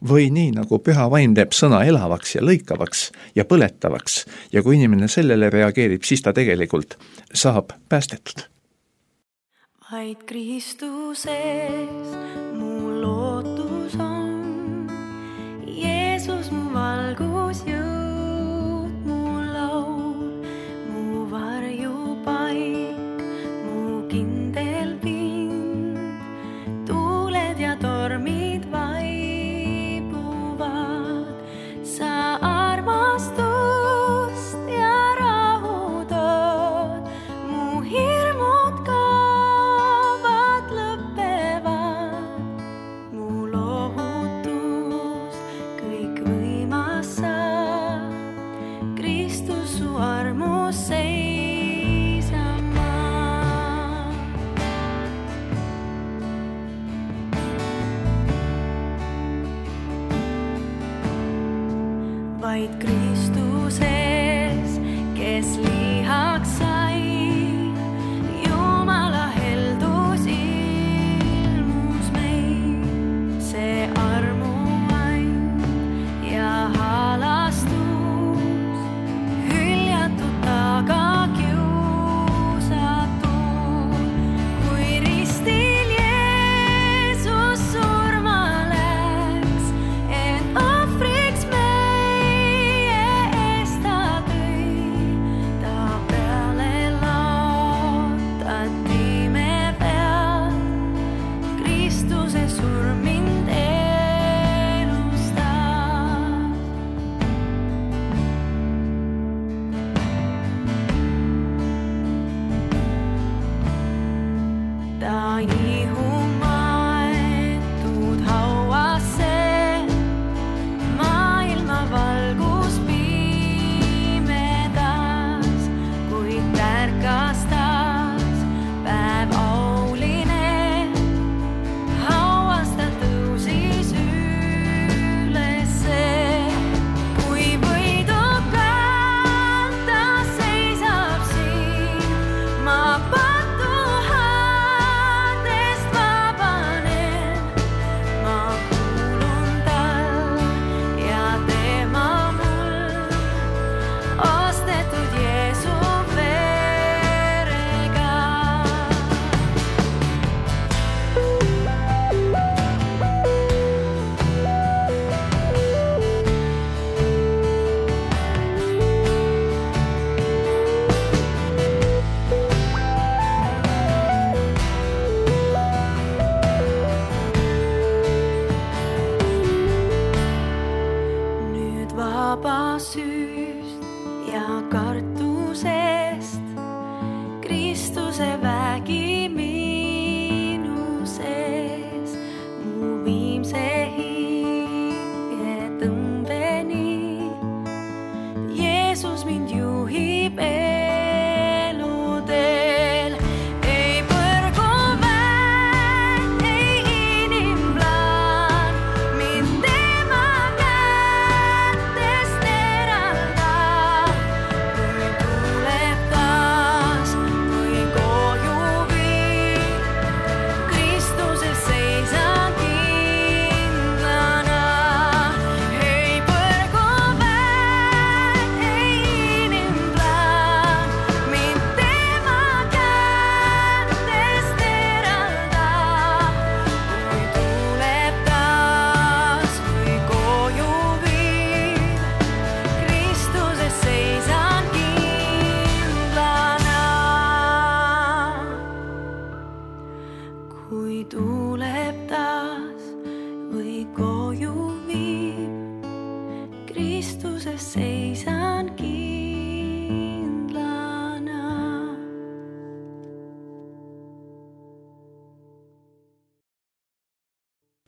või nii nagu püha vaim teeb sõna elavaks ja lõikavaks ja põletavaks ja kui inimene sellele reageerib, siis ta tegelikult saab päästetud. Vaid Kristuses mu lootus on, Jeesus mu valgus jõud, mu laul, mu varjupaik, mu kindel pind, tuuled ja tormid vaibuvad, sa armastust ja rahu tood, mu hirmud kaovad, lõppevad, mu lohutus kõikvõimas sa, Kristus su armus seisama. Vaid Kristuses, kes lihaks sai, Jumala heldus ilmus meil, see armuand ja halastus, hüljatud taga kiusatud, kui ristil Jeesus surma läks, et ohvriks meie eest ta tõi, ta peale lootati me peal, Kristuse surm mind elustab. Ta ihumaetud hauasse, maailma valgus pimedas, kuid tärkas taas päev auline, hauast ta tõusis ülesse, kui võidukalt ta seisab siin, ma patuhadest vabanen, ma kuulun tal ja tema mul, ostetud Jeesu verega. Nüüd vaba süüst ja kartusest, Kristuse vägi minu sees, mu viimse hinge tõmbeni, Jeesus mind juhib eludel. Ei põrgu väed, ei inimplaan, mind tema kätest eraldab, kui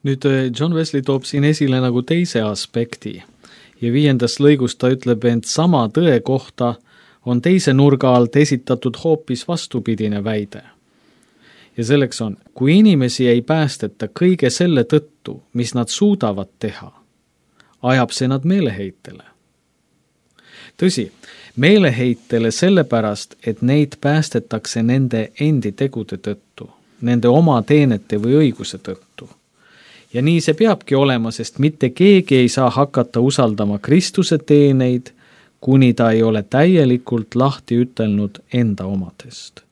nüüd John Wesley toob siin esile nagu teise aspekti ja viiendas lõigus ta ütleb, ent sama tõe kohta on teise nurga alt esitatud hoopis vastupidine väide. Ja selleks on, kui inimesi ei päästeta kõige selle tõttu, mis nad suudavad teha, ajab see nad meeleheitele. Tõsi, meeleheitele sellepärast, et neid päästetakse nende endi tegude tõttu, nende oma teenete või õiguse tõttu. Ja nii see peabki olema, sest mitte keegi ei saa hakata usaldama Kristuse teeneid, kuni ta ei ole täielikult lahti ütelnud enda omadest.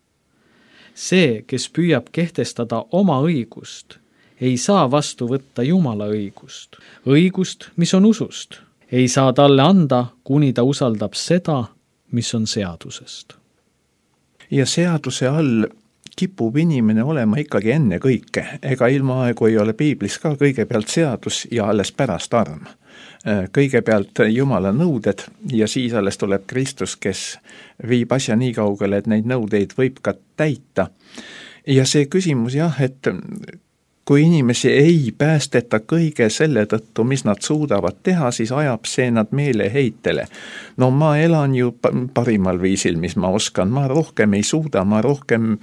See, kes püüab kehtestada oma õigust, ei saa vastu võtta Jumala õigust. Õigust, mis on usust, ei saa talle anda, kuni ta usaldab seda, mis on seadusest. Ja seaduse all kipub inimene olema ikkagi enne kõike. Ega ilma aegu ei ole piiblis ka kõigepealt seadus ja alles pärast arm. Kõigepealt Jumala nõuded ja siis alles tuleb Kristus, kes viib asja nii kaugele, et neid nõudeid võib ka täita. Ja see küsimus jah, et kui inimesi ei päästeta kõige selle tõttu, mis nad suudavad teha, siis ajab see nad meeleheitele. No ma elan ju parimal viisil, mis ma oskan, ma rohkem ei suuda, ma rohkem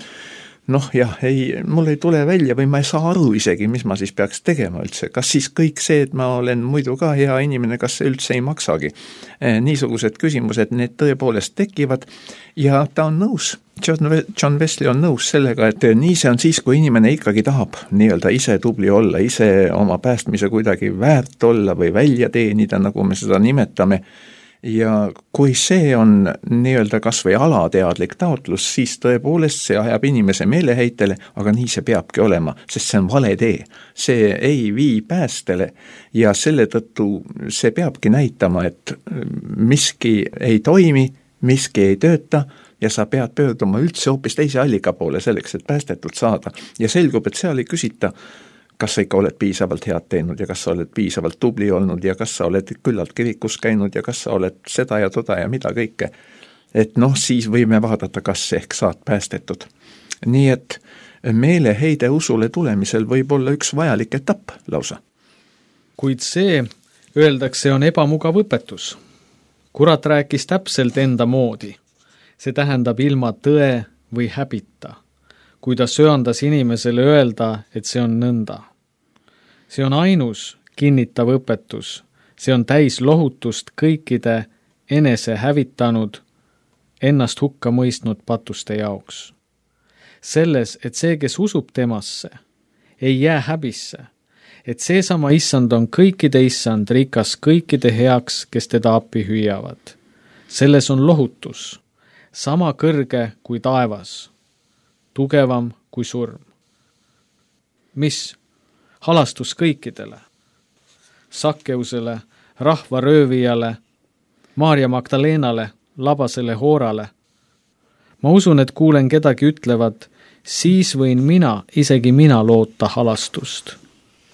noh jah, ei, mul ei tule välja või ma ei saa aru isegi, mis ma siis peaks tegema üldse. Kas siis kõik see, et ma olen muidu ka hea inimene, kas see üldse ei maksagi? Niisugused küsimused, need tõepoolest tekivad ja ta on nõus. John Wesley on nõus sellega, et nii see on siis, kui inimene ikkagi tahab nii-öelda ise tubli olla, ise oma päästmise kuidagi väärt olla või välja teenida, nagu me seda nimetame. Ja kui see on nii-öelda kas või alateadlik taotlus, siis tõepoolest see ajab inimese meeleheitele, aga nii see peabki olema, sest see on vale tee. See ei vii päästele ja selle tõttu see peabki näitama, et miski ei toimi, miski ei tööta ja sa pead pöörduma üldse hoopis teise allika poole selleks, et päästetud saada. Ja selgub, et seal ei küsita, kas sa ikka oled piisavalt head teinud ja kas sa oled piisavalt tubli olnud ja kas sa oled küllalt kirikus käinud ja kas sa oled seda ja toda ja mida kõike. Et noh, siis võime vaadata, kas ehk saad päästetud. Nii et meeleheide usule tulemisel võib olla üks vajalik etapp lausa. Kuid see, öeldakse, on ebamugav õpetus. Kurat rääkis täpselt enda moodi. See tähendab ilma tõe või häbita, kui ta söandas inimesele öelda, et see on nõnda. See on ainus kinnitav õpetus, see on täis lohutust kõikide enese hävitanud, ennast hukka mõistnud patuste jaoks. Selles, et see, kes usub temasse, ei jää häbisse, et seesama issand on kõikide issand, rikas kõikide heaks, kes teda appi hüüavad. Selles on lohutus, sama kõrge kui taevas, tugevam kui surm. Mis? Halastus kõikidele. Sakkeusele, rahvaröövijale, Maarja Magdalenale, labasele hoorale. Ma usun, et kuulen kedagi ütlevad, siis võin mina, isegi mina loota halastust.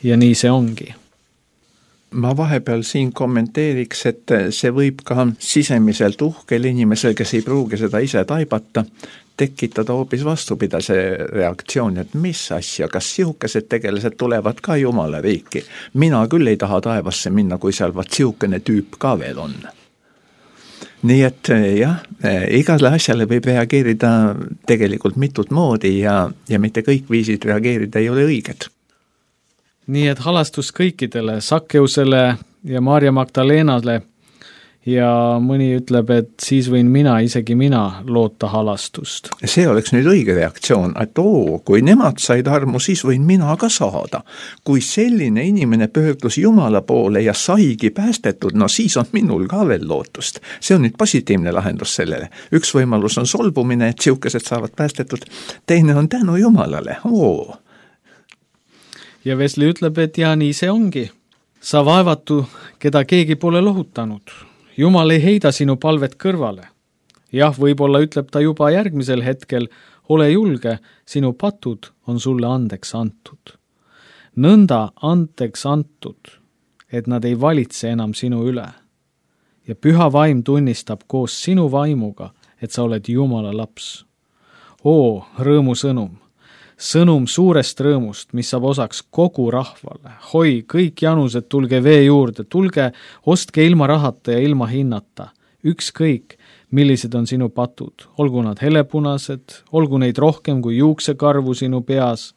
Ja nii see ongi. Ma vahepeal siin kommenteeriks, et see võib ka sisemiselt uhkel inimesel, kes ei pruugi seda ise taibata, tekitada hoopis vastupidase reaktsioon, et mis asja, kas sihukesed tegelased tulevad ka Jumala riiki. Mina küll ei taha taevasse minna, kui seal vaat sihukene tüüp ka veel on. Nii et jah, igale asjale võib reageerida tegelikult mitut moodi ja, ja mitte kõik viisid reageerida ei ole õiged. Nii et halastus kõikidele, Sakkeusele ja Maarja Magdalenale ja mõni ütleb, et siis võin mina, isegi mina loota halastust. See oleks nüüd õige reaktsioon, et oo, kui nemad said armu, siis võin mina ka saada. Kui selline inimene pöördus Jumala poole ja saigi päästetud, no siis on minul ka veel lootust. See on nüüd positiivne lahendus sellele. Üks võimalus on solvumine, et sihukesed saavad päästetud, teine on tänu Jumalale, oo. Ja Wesley ütleb, et ja nii see ongi. Sa vaevatu, keda keegi pole lohutanud. Jumal ei heida sinu palvet kõrvale. Jah, võib-olla ütleb ta juba järgmisel hetkel, ole julge, sinu patud on sulle andeks antud. Nõnda andeks antud, et nad ei valitse enam sinu üle. Ja püha vaim tunnistab koos sinu vaimuga, et sa oled Jumala laps. Oo, rõõmu sõnum. sõnum suurest rõõmust, mis saab osaks kogu rahvale. Hoi, kõik janused, tulge vee juurde, tulge, ostke ilma rahata ja ilma hinnata. Ükskõik, millised on sinu patud, olgu nad helepunased, olgu neid rohkem kui juuksekarvu sinu peas.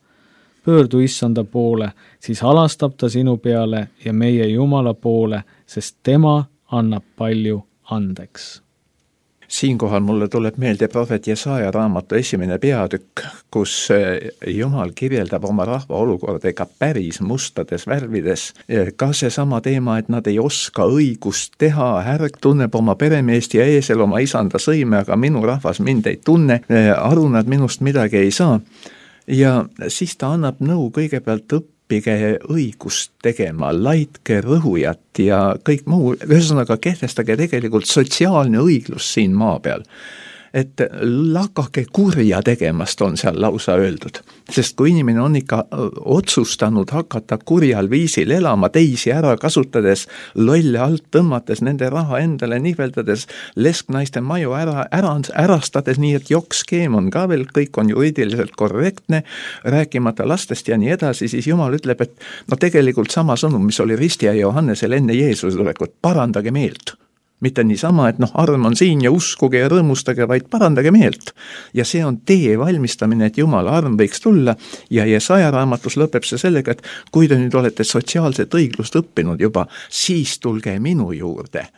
Pöördu issanda poole, siis alastab ta sinu peale ja meie Jumala poole, sest tema annab palju andeks. Siinkohal mulle tuleb meelde prohvet Jesaja raamatu esimene peatükk, kus Jumal kirjeldab oma rahva olukorda ega päris mustades värvides. Ka see sama teema, et nad ei oska õigust teha, härg tunneb oma peremeest ja eesel oma isanda sõime, aga minu rahvas mind ei tunne, aru nad minust midagi ei saa. Ja siis ta annab nõu kõigepealt õppida, õppige õigust tegema, laitke rõhujat ja kõik muu, ühesõnaga kehtestage tegelikult sotsiaalne õiglus siin maa peal. Et lakake kurja tegemast on seal lausa öeldud. Sest kui inimene on ikka otsustanud hakata kurjal viisil elama, teisi ära kasutades, lolle alt tõmmates, nende raha endale niveldades, lesknaiste maju ära, ära, ärastades nii, et jokkskeem on ka veel, kõik on juriidiliselt korrektne, rääkimata lastest ja nii edasi, siis Jumal ütleb, et no tegelikult sama sõnum, mis oli Ristja ja Johannesel enne Jeesuse tulekut, parandage meelt. Mitte niisama, et noh, arm on siin ja uskuge ja rõõmustage, vaid parandage meelt. Ja see on tee valmistamine, et Jumala arm võiks tulla ja Jesaja raamatus lõpeb see sellega, et kui te nüüd olete sotsiaalset õiglust õppinud juba, siis tulge minu juurde.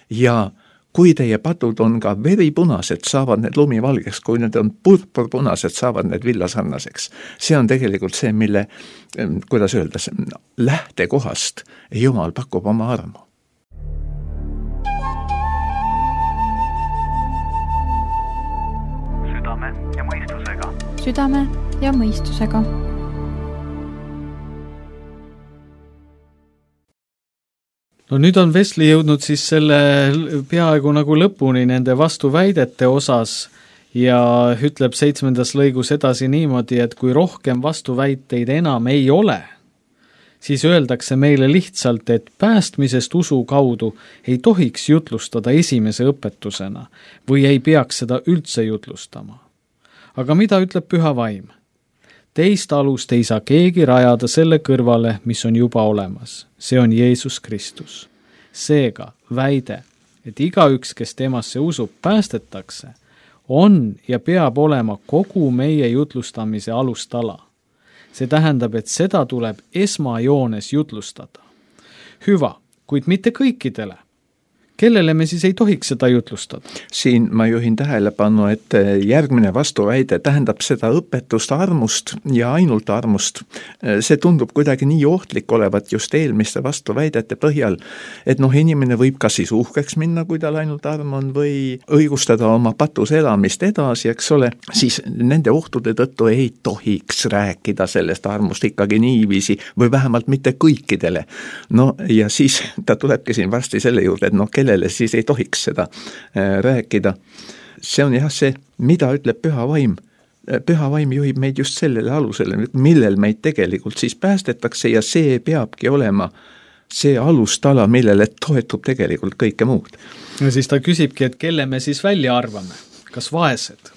Ja kui teie patud on ka veripunased, saavad need lumivalgeks, kui need on purpurpunased, saavad need villasarnaseks. See on tegelikult see, mille, kuidas öelda, lähtekohast Jumal pakub oma armu. ja mõistusega. Südame ja mõistusega. No nüüd on Vesli jõudnud siis selle peaaegu nagu lõpuni nende vastuväidete osas ja ütleb seitsmendas lõigus edasi niimoodi, et kui rohkem vastuväiteid enam ei ole, siis öeldakse meile lihtsalt, et päästmisest usu kaudu ei tohiks jutlustada esimese õpetusena või ei peaks seda üldse jutlustama. Aga mida ütleb Püha Vaim? Teist alust ei saa keegi rajada selle kõrvale, mis on juba olemas. See on Jeesus Kristus. Seega väide, et igaüks, kes temasse usub, päästetakse, on ja peab olema kogu meie jutlustamise alustala. See tähendab, et seda tuleb esmajoones jutlustada. Hüva, kuid mitte kõikidele. Kellele me siis ei tohiks seda jutlustada? Siin ma juhin tähelepanu, et järgmine vastuväide tähendab seda õpetust armust ja ainult armust. See tundub kuidagi nii ohtlik olevat just eelmiste vastuväidete põhjal, et noh, inimene võib ka siis uhkeks minna, kui tal ainult arm on, või õigustada oma patus elamist edasi, eks ole, siis nende ohtude tõttu ei tohiks rääkida sellest armust ikkagi niiviisi, või vähemalt mitte kõikidele. No ja siis ta tulebki siin varsti selle juurde, et noh, kellele siis ei tohiks seda rääkida. See on jah see, mida ütleb Püha Vaim. Püha Vaim juhib meid just sellele alusele, millel meid tegelikult siis päästetakse ja see peabki olema see alustala, millele toetub tegelikult kõike muud. Ja siis ta küsibki, et kelle me siis välja arvame? Kas vaesed?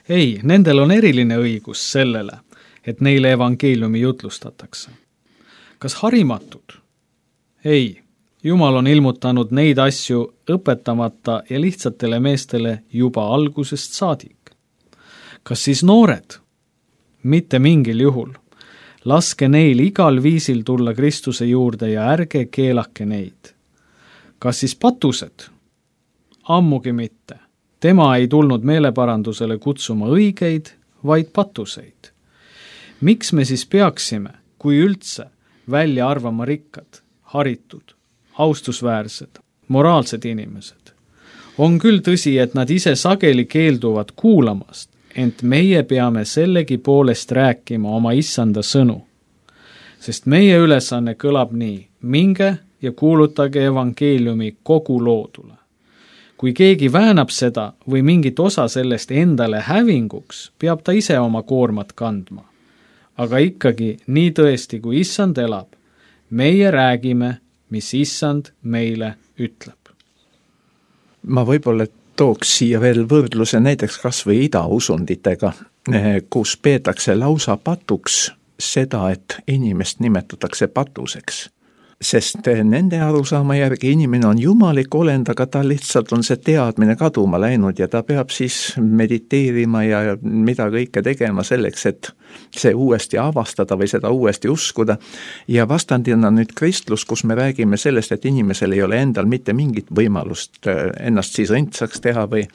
Ei, nendel on eriline õigus sellele, et neile evangeeliumi jutlustatakse. Kas harimatud? Ei. Jumal on ilmutanud neid asju õpetamata ja lihtsatele meestele juba algusest saadik. Kas siis noored? Mitte mingil juhul. Laske neil igal viisil tulla Kristuse juurde ja ärge keelake neid. Kas siis patused? Ammugi mitte. Tema ei tulnud meeleparandusele kutsuma õigeid, vaid patuseid. Miks me siis peaksime, kui üldse, välja arvama rikkad, haritud, austusväärsed, moraalsed inimesed? On küll tõsi, et nad ise sageli keelduvad kuulamast, ent meie peame sellegi poolest rääkima oma issanda sõnu. Sest meie ülesanne kõlab nii, minge ja kuulutage evangeeliumi kogu loodule. Kui keegi väänab seda või mingit osa sellest endale hävinguks, peab ta ise oma koormat kandma. Aga ikkagi, nii tõesti, kui issand elab, meie räägime, mis issand meile ütleb. Ma võib-olla tooks siia veel võrdluse näiteks kas või idausunditega. kus peetakse lausa patuks seda, et inimest nimetatakse patuseks. Sest nende arusaama järgi inimene on jumalik olend, aga ta lihtsalt on see teadmine kaduma läinud ja ta peab siis mediteerima ja mida kõike tegema selleks, et see uuesti avastada või seda uuesti uskuda. Ja vastandina nüüd kristlus, kus me räägime sellest, et inimesel ei ole endal mitte mingit võimalust ennast siis õndsaks teha või,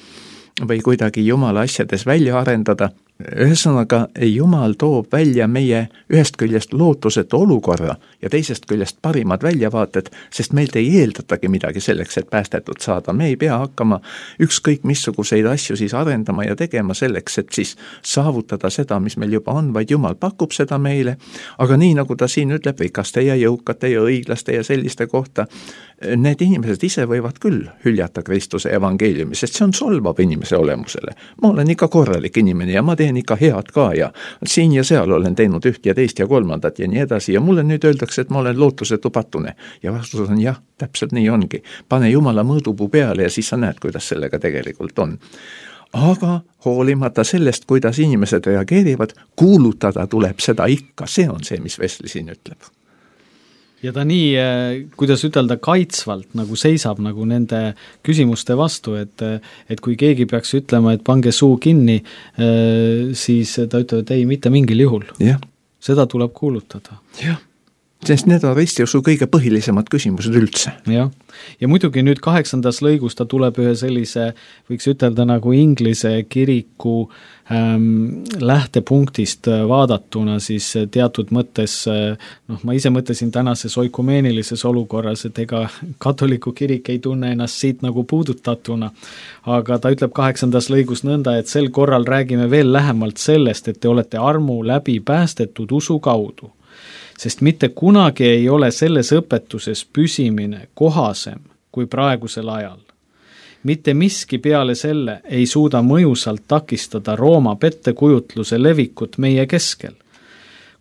või kuidagi Jumala asjades välja arendada. Ühesõnaga, Jumal toob välja meie ühest küljest lootusetu olukorra ja teisest küljest parimad väljavaated, sest meilt ei eeldatagi midagi selleks, et päästetud saada. Me ei pea hakkama ükskõik missuguseid asju siis arendama ja tegema selleks, et siis saavutada seda, mis meil juba on, vaid Jumal pakub seda meile. Aga nii nagu ta siin ütleb rikaste ja jõukate ja õiglaste ja selliste kohta, need inimesed ise võivad küll hüljata Kristuse evangeeliumi, sest see on solvav inimese olemusele. Ma olen ikka korralik inimene ja ma teen ikka head ka ja siin ja seal olen teinud üht ja teist ja kolmandat ja nii edasi ja mulle nüüd öeldakse, et ma olen lootusetu patune. Ja vastus on jah, täpselt nii ongi. Pane Jumala mõõdupuu peale ja siis sa näed, kuidas sellega tegelikult on. Aga hoolimata sellest, kuidas inimesed reageerivad, kuulutada tuleb seda ikka. See on see, mis Wesley siin ütleb. Ja ta nii, kuidas ütelda, kaitsvalt nagu seisab nagu nende küsimuste vastu, et, et kui keegi peaks ütlema, et pange suu kinni, siis ta ütleb, et ei, mitte mingil juhul. Ja. Seda tuleb kuulutada. Jah, sest need on ristiusu kõige põhilisemad küsimused üldse. Jah, ja muidugi nüüd kaheksandas lõigus ta tuleb ühe sellise, võiks ütelda nagu Inglise kiriku ähm, lähtepunktist vaadatuna siis teatud mõttes, noh, ma ise mõtlesin tänases oikumeenilises olukorras, et ega katoliku kirik ei tunne ennast siit nagu puudutatuna, aga ta ütleb kaheksandas lõigus nõnda, et sel korral räägime veel lähemalt sellest, et te olete armu läbi päästetud usu kaudu. Sest mitte kunagi ei ole selles õpetuses püsimine kohasem kui praegusel ajal. Mitte miski peale selle ei suuda mõjusalt takistada Rooma pettekujutluse levikut meie keskel.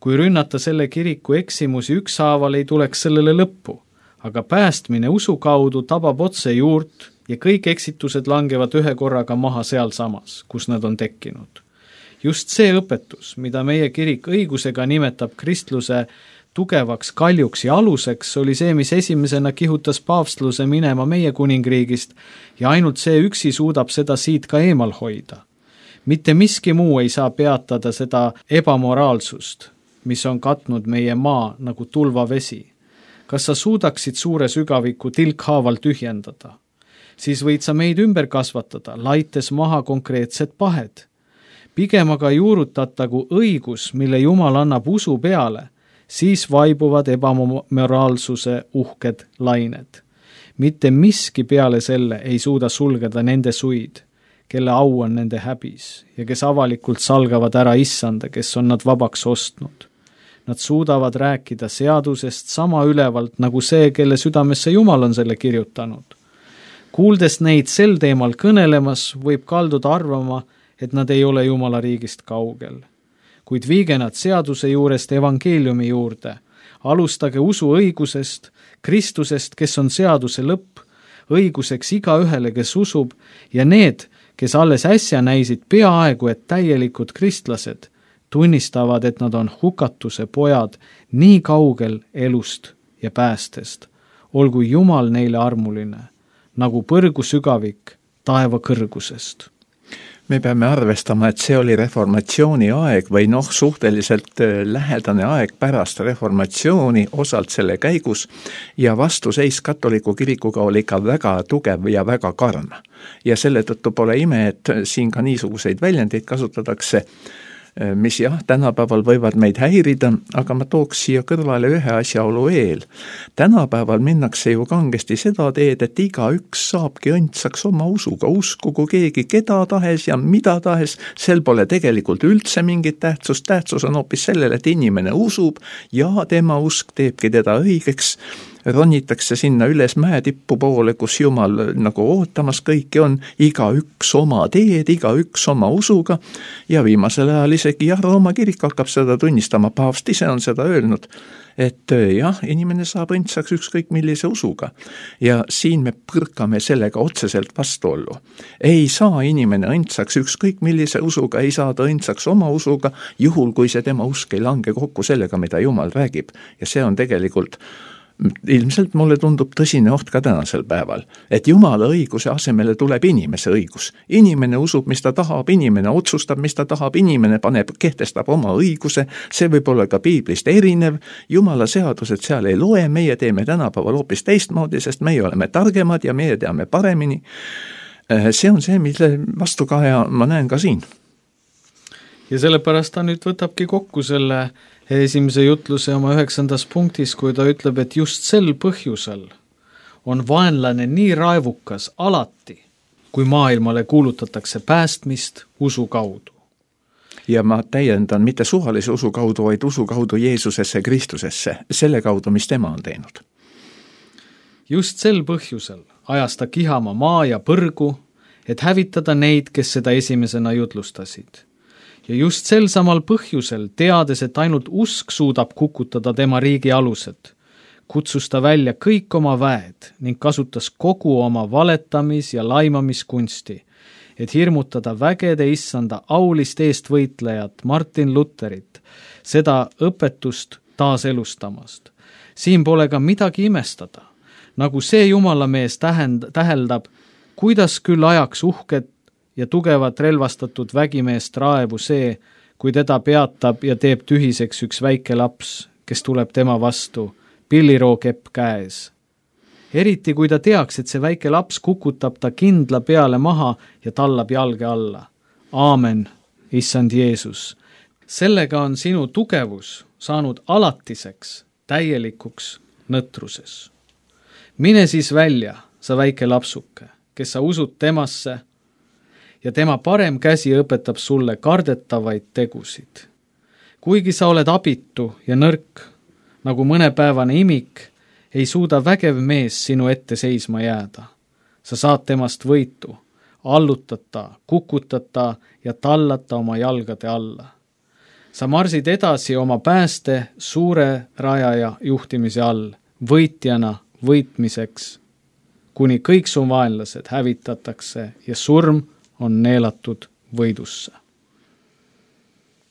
Kui rünnata selle kiriku eksimusi ükshaaval, ei tuleks sellele lõppu, aga päästmine usu kaudu tabab otse juurt ja kõik eksitused langevad ühe korraga maha seal samas, kus nad on tekkinud. Just see õpetus, mida meie kirik õigusega nimetab kristluse tugevaks kaljuks ja aluseks, oli see, mis esimesena kihutas paavstluse minema meie kuningriigist ja ainult see üksi suudab seda siit ka eemal hoida. Mitte miski muu ei saa peatada seda ebamoraalsust, mis on katnud meie maa nagu tulvavesi. Kas sa suudaksid suure sügaviku tilkhaaval tühjendada? Siis võid sa meid ümber kasvatada, laites maha konkreetsed pahed. Pigem aga juurutatagu õigus, mille Jumal annab usu peale, siis vaibuvad ebamoraalsuse uhked lained. Mitte miski peale selle ei suuda sulgeda nende suid, kelle au on nende häbis ja kes avalikult salgavad ära issanda, kes on nad vabaks ostnud. Nad suudavad rääkida seadusest sama ülevalt nagu see, kelle südamesse Jumal on selle kirjutanud. Kuuldes neid sel teemal kõnelemas, võib kalduda arvama, et nad ei ole Jumala riigist kaugel. Kuid viige nad seaduse juurest evangeeliumi juurde. Alustage usu õigusest, Kristusest, kes on seaduse lõpp, õiguseks iga ühele, kes usub, ja need, kes alles äsja näisid peaaegu et täielikud kristlased, tunnistavad, et nad on hukatuse pojad nii kaugel elust ja päästest. Olgu Jumal neile armuline, nagu põrgu sügavik taeva kõrgusest. Me peame arvestama, et see oli reformatsiooni aeg või noh, suhteliselt lähedane aeg pärast reformatsiooni osalt selle käigus ja vastuseis katoliku kirikuga oli ikka väga tugev ja väga karm. Ja selle tõttu pole ime, et siin ka niisuguseid väljendeid kasutatakse, mis jah, tänapäeval võivad meid häirida, aga ma tooks siia kõrvale ühe asjaolu eel. Tänapäeval minnakse ju kangesti seda teed, et iga üks saabki õndsaks oma usuga, uskugu keegi keda tahes ja mida tahes, sel pole tegelikult üldse mingit tähtsust, tähtsus on hoopis sellele, et inimene usub ja tema usk teebki teda õigeks. ronitakse sinna üles mäetippu poole, kus Jumal nagu ootamas kõiki on, iga üks oma teed, iga üks oma usuga ja viimasel ajal isegi jah, Rooma kirik hakkab seda tunnistama, paavst ise on seda öelnud, et jah, inimene saab õndsaks ükskõik millise usuga ja siin me põrkame sellega otseselt vastuollu. Ei saa inimene õndsaks ükskõik millise usuga, ei saa ta õndsaks oma usuga, juhul kui see tema usk ei lange kokku sellega, mida Jumal räägib ja see on tegelikult ilmselt mulle tundub tõsine oht ka tänasel päeval, et Jumala õiguse asemele tuleb inimese õigus. Inimene usub, mis ta tahab, inimene otsustab, mis ta tahab, inimene paneb, kehtestab oma õiguse, see võib olla ka piiblist erinev, Jumala seadused seal ei loe, meie teeme tänapäeval hoopis teistmoodi, sest meie oleme targemad ja meie teame paremini. See on see, mille vastukaja ma näen ka siin. Ja sellepärast ta nüüd võtabki kokku selle esimese jutluse oma üheksandas punktis, kui ta ütleb, et just sel põhjusel on vaenlane nii raevukas alati, kui maailmale kuulutatakse päästmist usu kaudu. Ja ma täiendan mitte suvalise usu kaudu, vaid usu kaudu Jeesusesse, Kristusesse, selle kaudu, mis tema on teinud. Just sel põhjusel ajas ta kihama maa ja põrgu, et hävitada neid, kes seda esimesena jutlustasid. Ja just sel samal põhjusel, teades, et ainult usk suudab kukutada tema riigi alused, kutsus ta välja kõik oma väed ning kasutas kogu oma valetamis- ja laimamiskunsti, et hirmutada vägede issanda aulist eestvõitlejat Martin Lutherit, seda õpetust taaselustamast. Siin pole ka midagi imestada, nagu see jumalamees tähend, täheldab, kuidas küll ajaks uhket ja tugevat relvastatud vägimeest raevu see, kui teda peatab ja teeb tühiseks üks väike laps, kes tuleb tema vastu, pillirookepp käes. Eriti kui ta teaks, et see väike laps kukutab ta kindla peale maha ja tallab jalge alla. Aamen, issand Jeesus. Sellega on sinu tugevus saanud alatiseks, täielikuks nõtruses. Mine siis välja, sa väike lapsuke, kes sa usud temasse, ja tema parem käsi õpetab sulle kardetavaid tegusid. Kuigi sa oled abitu ja nõrk, nagu mõnepäevane imik, ei suuda vägev mees sinu ette seisma jääda. Sa saad temast võitu, allutata, kukutata ja tallata oma jalgade alla. Sa marsid edasi oma pääste suure rajaja juhtimise all, võitjana võitmiseks, kuni kõik su vaenlased hävitatakse ja surm on neelatud võidusse.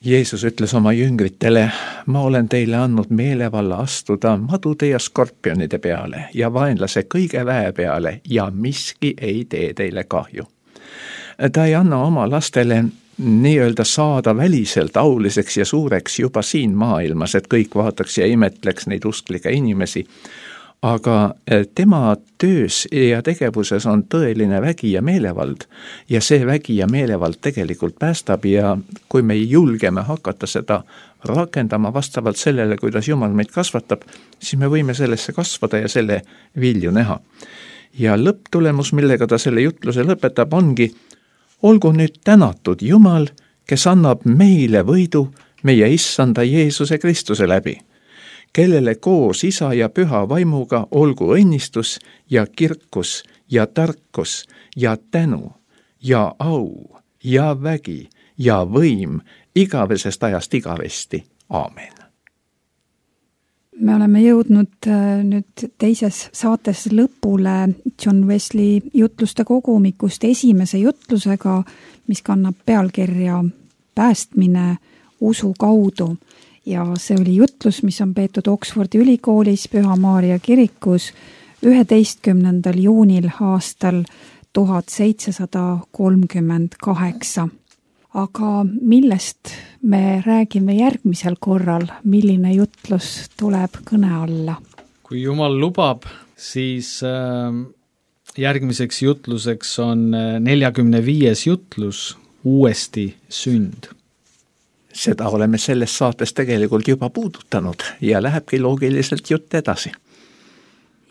Jeesus ütles oma jüngritele, ma olen teile andnud meelevalla astuda madude ja skorpionide peale ja vaenlase kõige väe peale ja miski ei tee teile kahju. Ta ei anna oma lastele nii-öelda saada väliselt auliseks ja suureks juba siin maailmas, et kõik vaataks ja imetleks neid usklikke inimesi, aga tema töös ja tegevuses on tõeline vägi ja meelevald ja see vägi ja meelevald tegelikult päästab ja kui me julgeme hakata seda rakendama vastavalt sellele, kuidas Jumal meid kasvatab, siis me võime sellesse kasvada ja selle vilju näha. Ja lõpptulemus, millega ta selle jutluse lõpetab, ongi, olgu nüüd tänatud Jumal, kes annab meile võidu meie issanda Jeesuse Kristuse läbi, kellele koos isa ja püha vaimuga olgu õnnistus ja kirkus ja tarkus ja tänu ja au ja vägi ja võim igavesest ajast igavesti. Aamen. Me oleme jõudnud nüüd teises saates lõpule John Wesley jutluste kogumikust esimese jutlusega, mis kannab pealkirja Päästmine usu kaudu. Ja see oli jutlus, mis on peetud Oxfordi ülikoolis Püha Maarja kirikus üheteistkümnendal juunil aastal tuhat seitsesada kolmkümmend kaheksa. Aga millest me räägime järgmisel korral, milline jutlus tuleb kõne alla? Kui Jumal lubab, siis järgmiseks jutluseks on neljakümne viies jutlus Uuesti sünd. Seda oleme selles saates tegelikult juba puudutanud ja lähebki loogiliselt jutt edasi.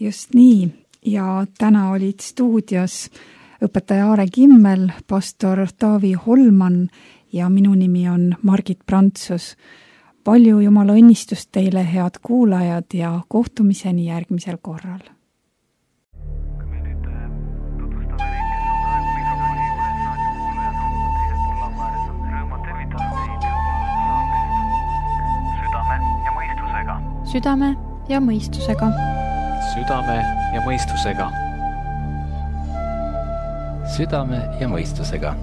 Just nii ja täna olid stuudios õpetaja Aare Kimmel, pastor Taavi Holman ja minu nimi on Margit Prantsus. palju Jumala õnnistust teile, head kuulajad, ja kohtumiseni järgmisel korral. südame ja mõistusega. südame ja mõistusega. südame ja mõistusega.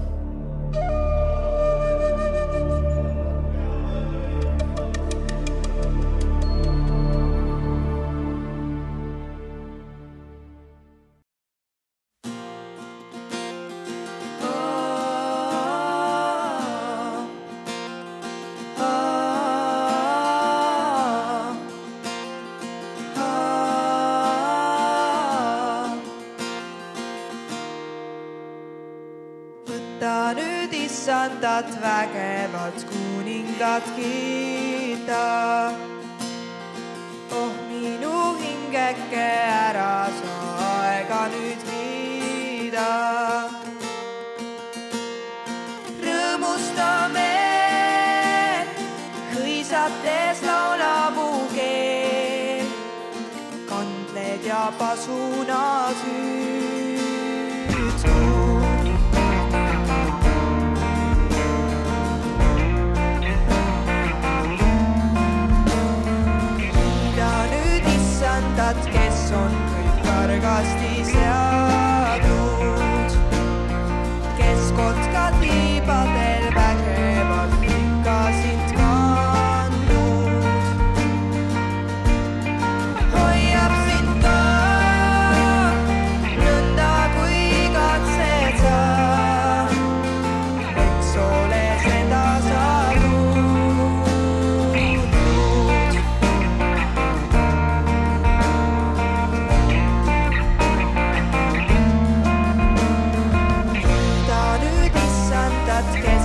Võta nüüd issandat vägevalt kuningat kiita. Oh minu hingeke ära sa aega nüüd viida. Rõõmustame, hõisates laulapuu keel, kandled ja pasunad hüüdsu. Kes on kõik kargasti seadnud, kes kotkad liibadel vägevalt ikka sind kandnud, hoiab sind ka nõnda kui katsed sa, eks ole seda saadud. Get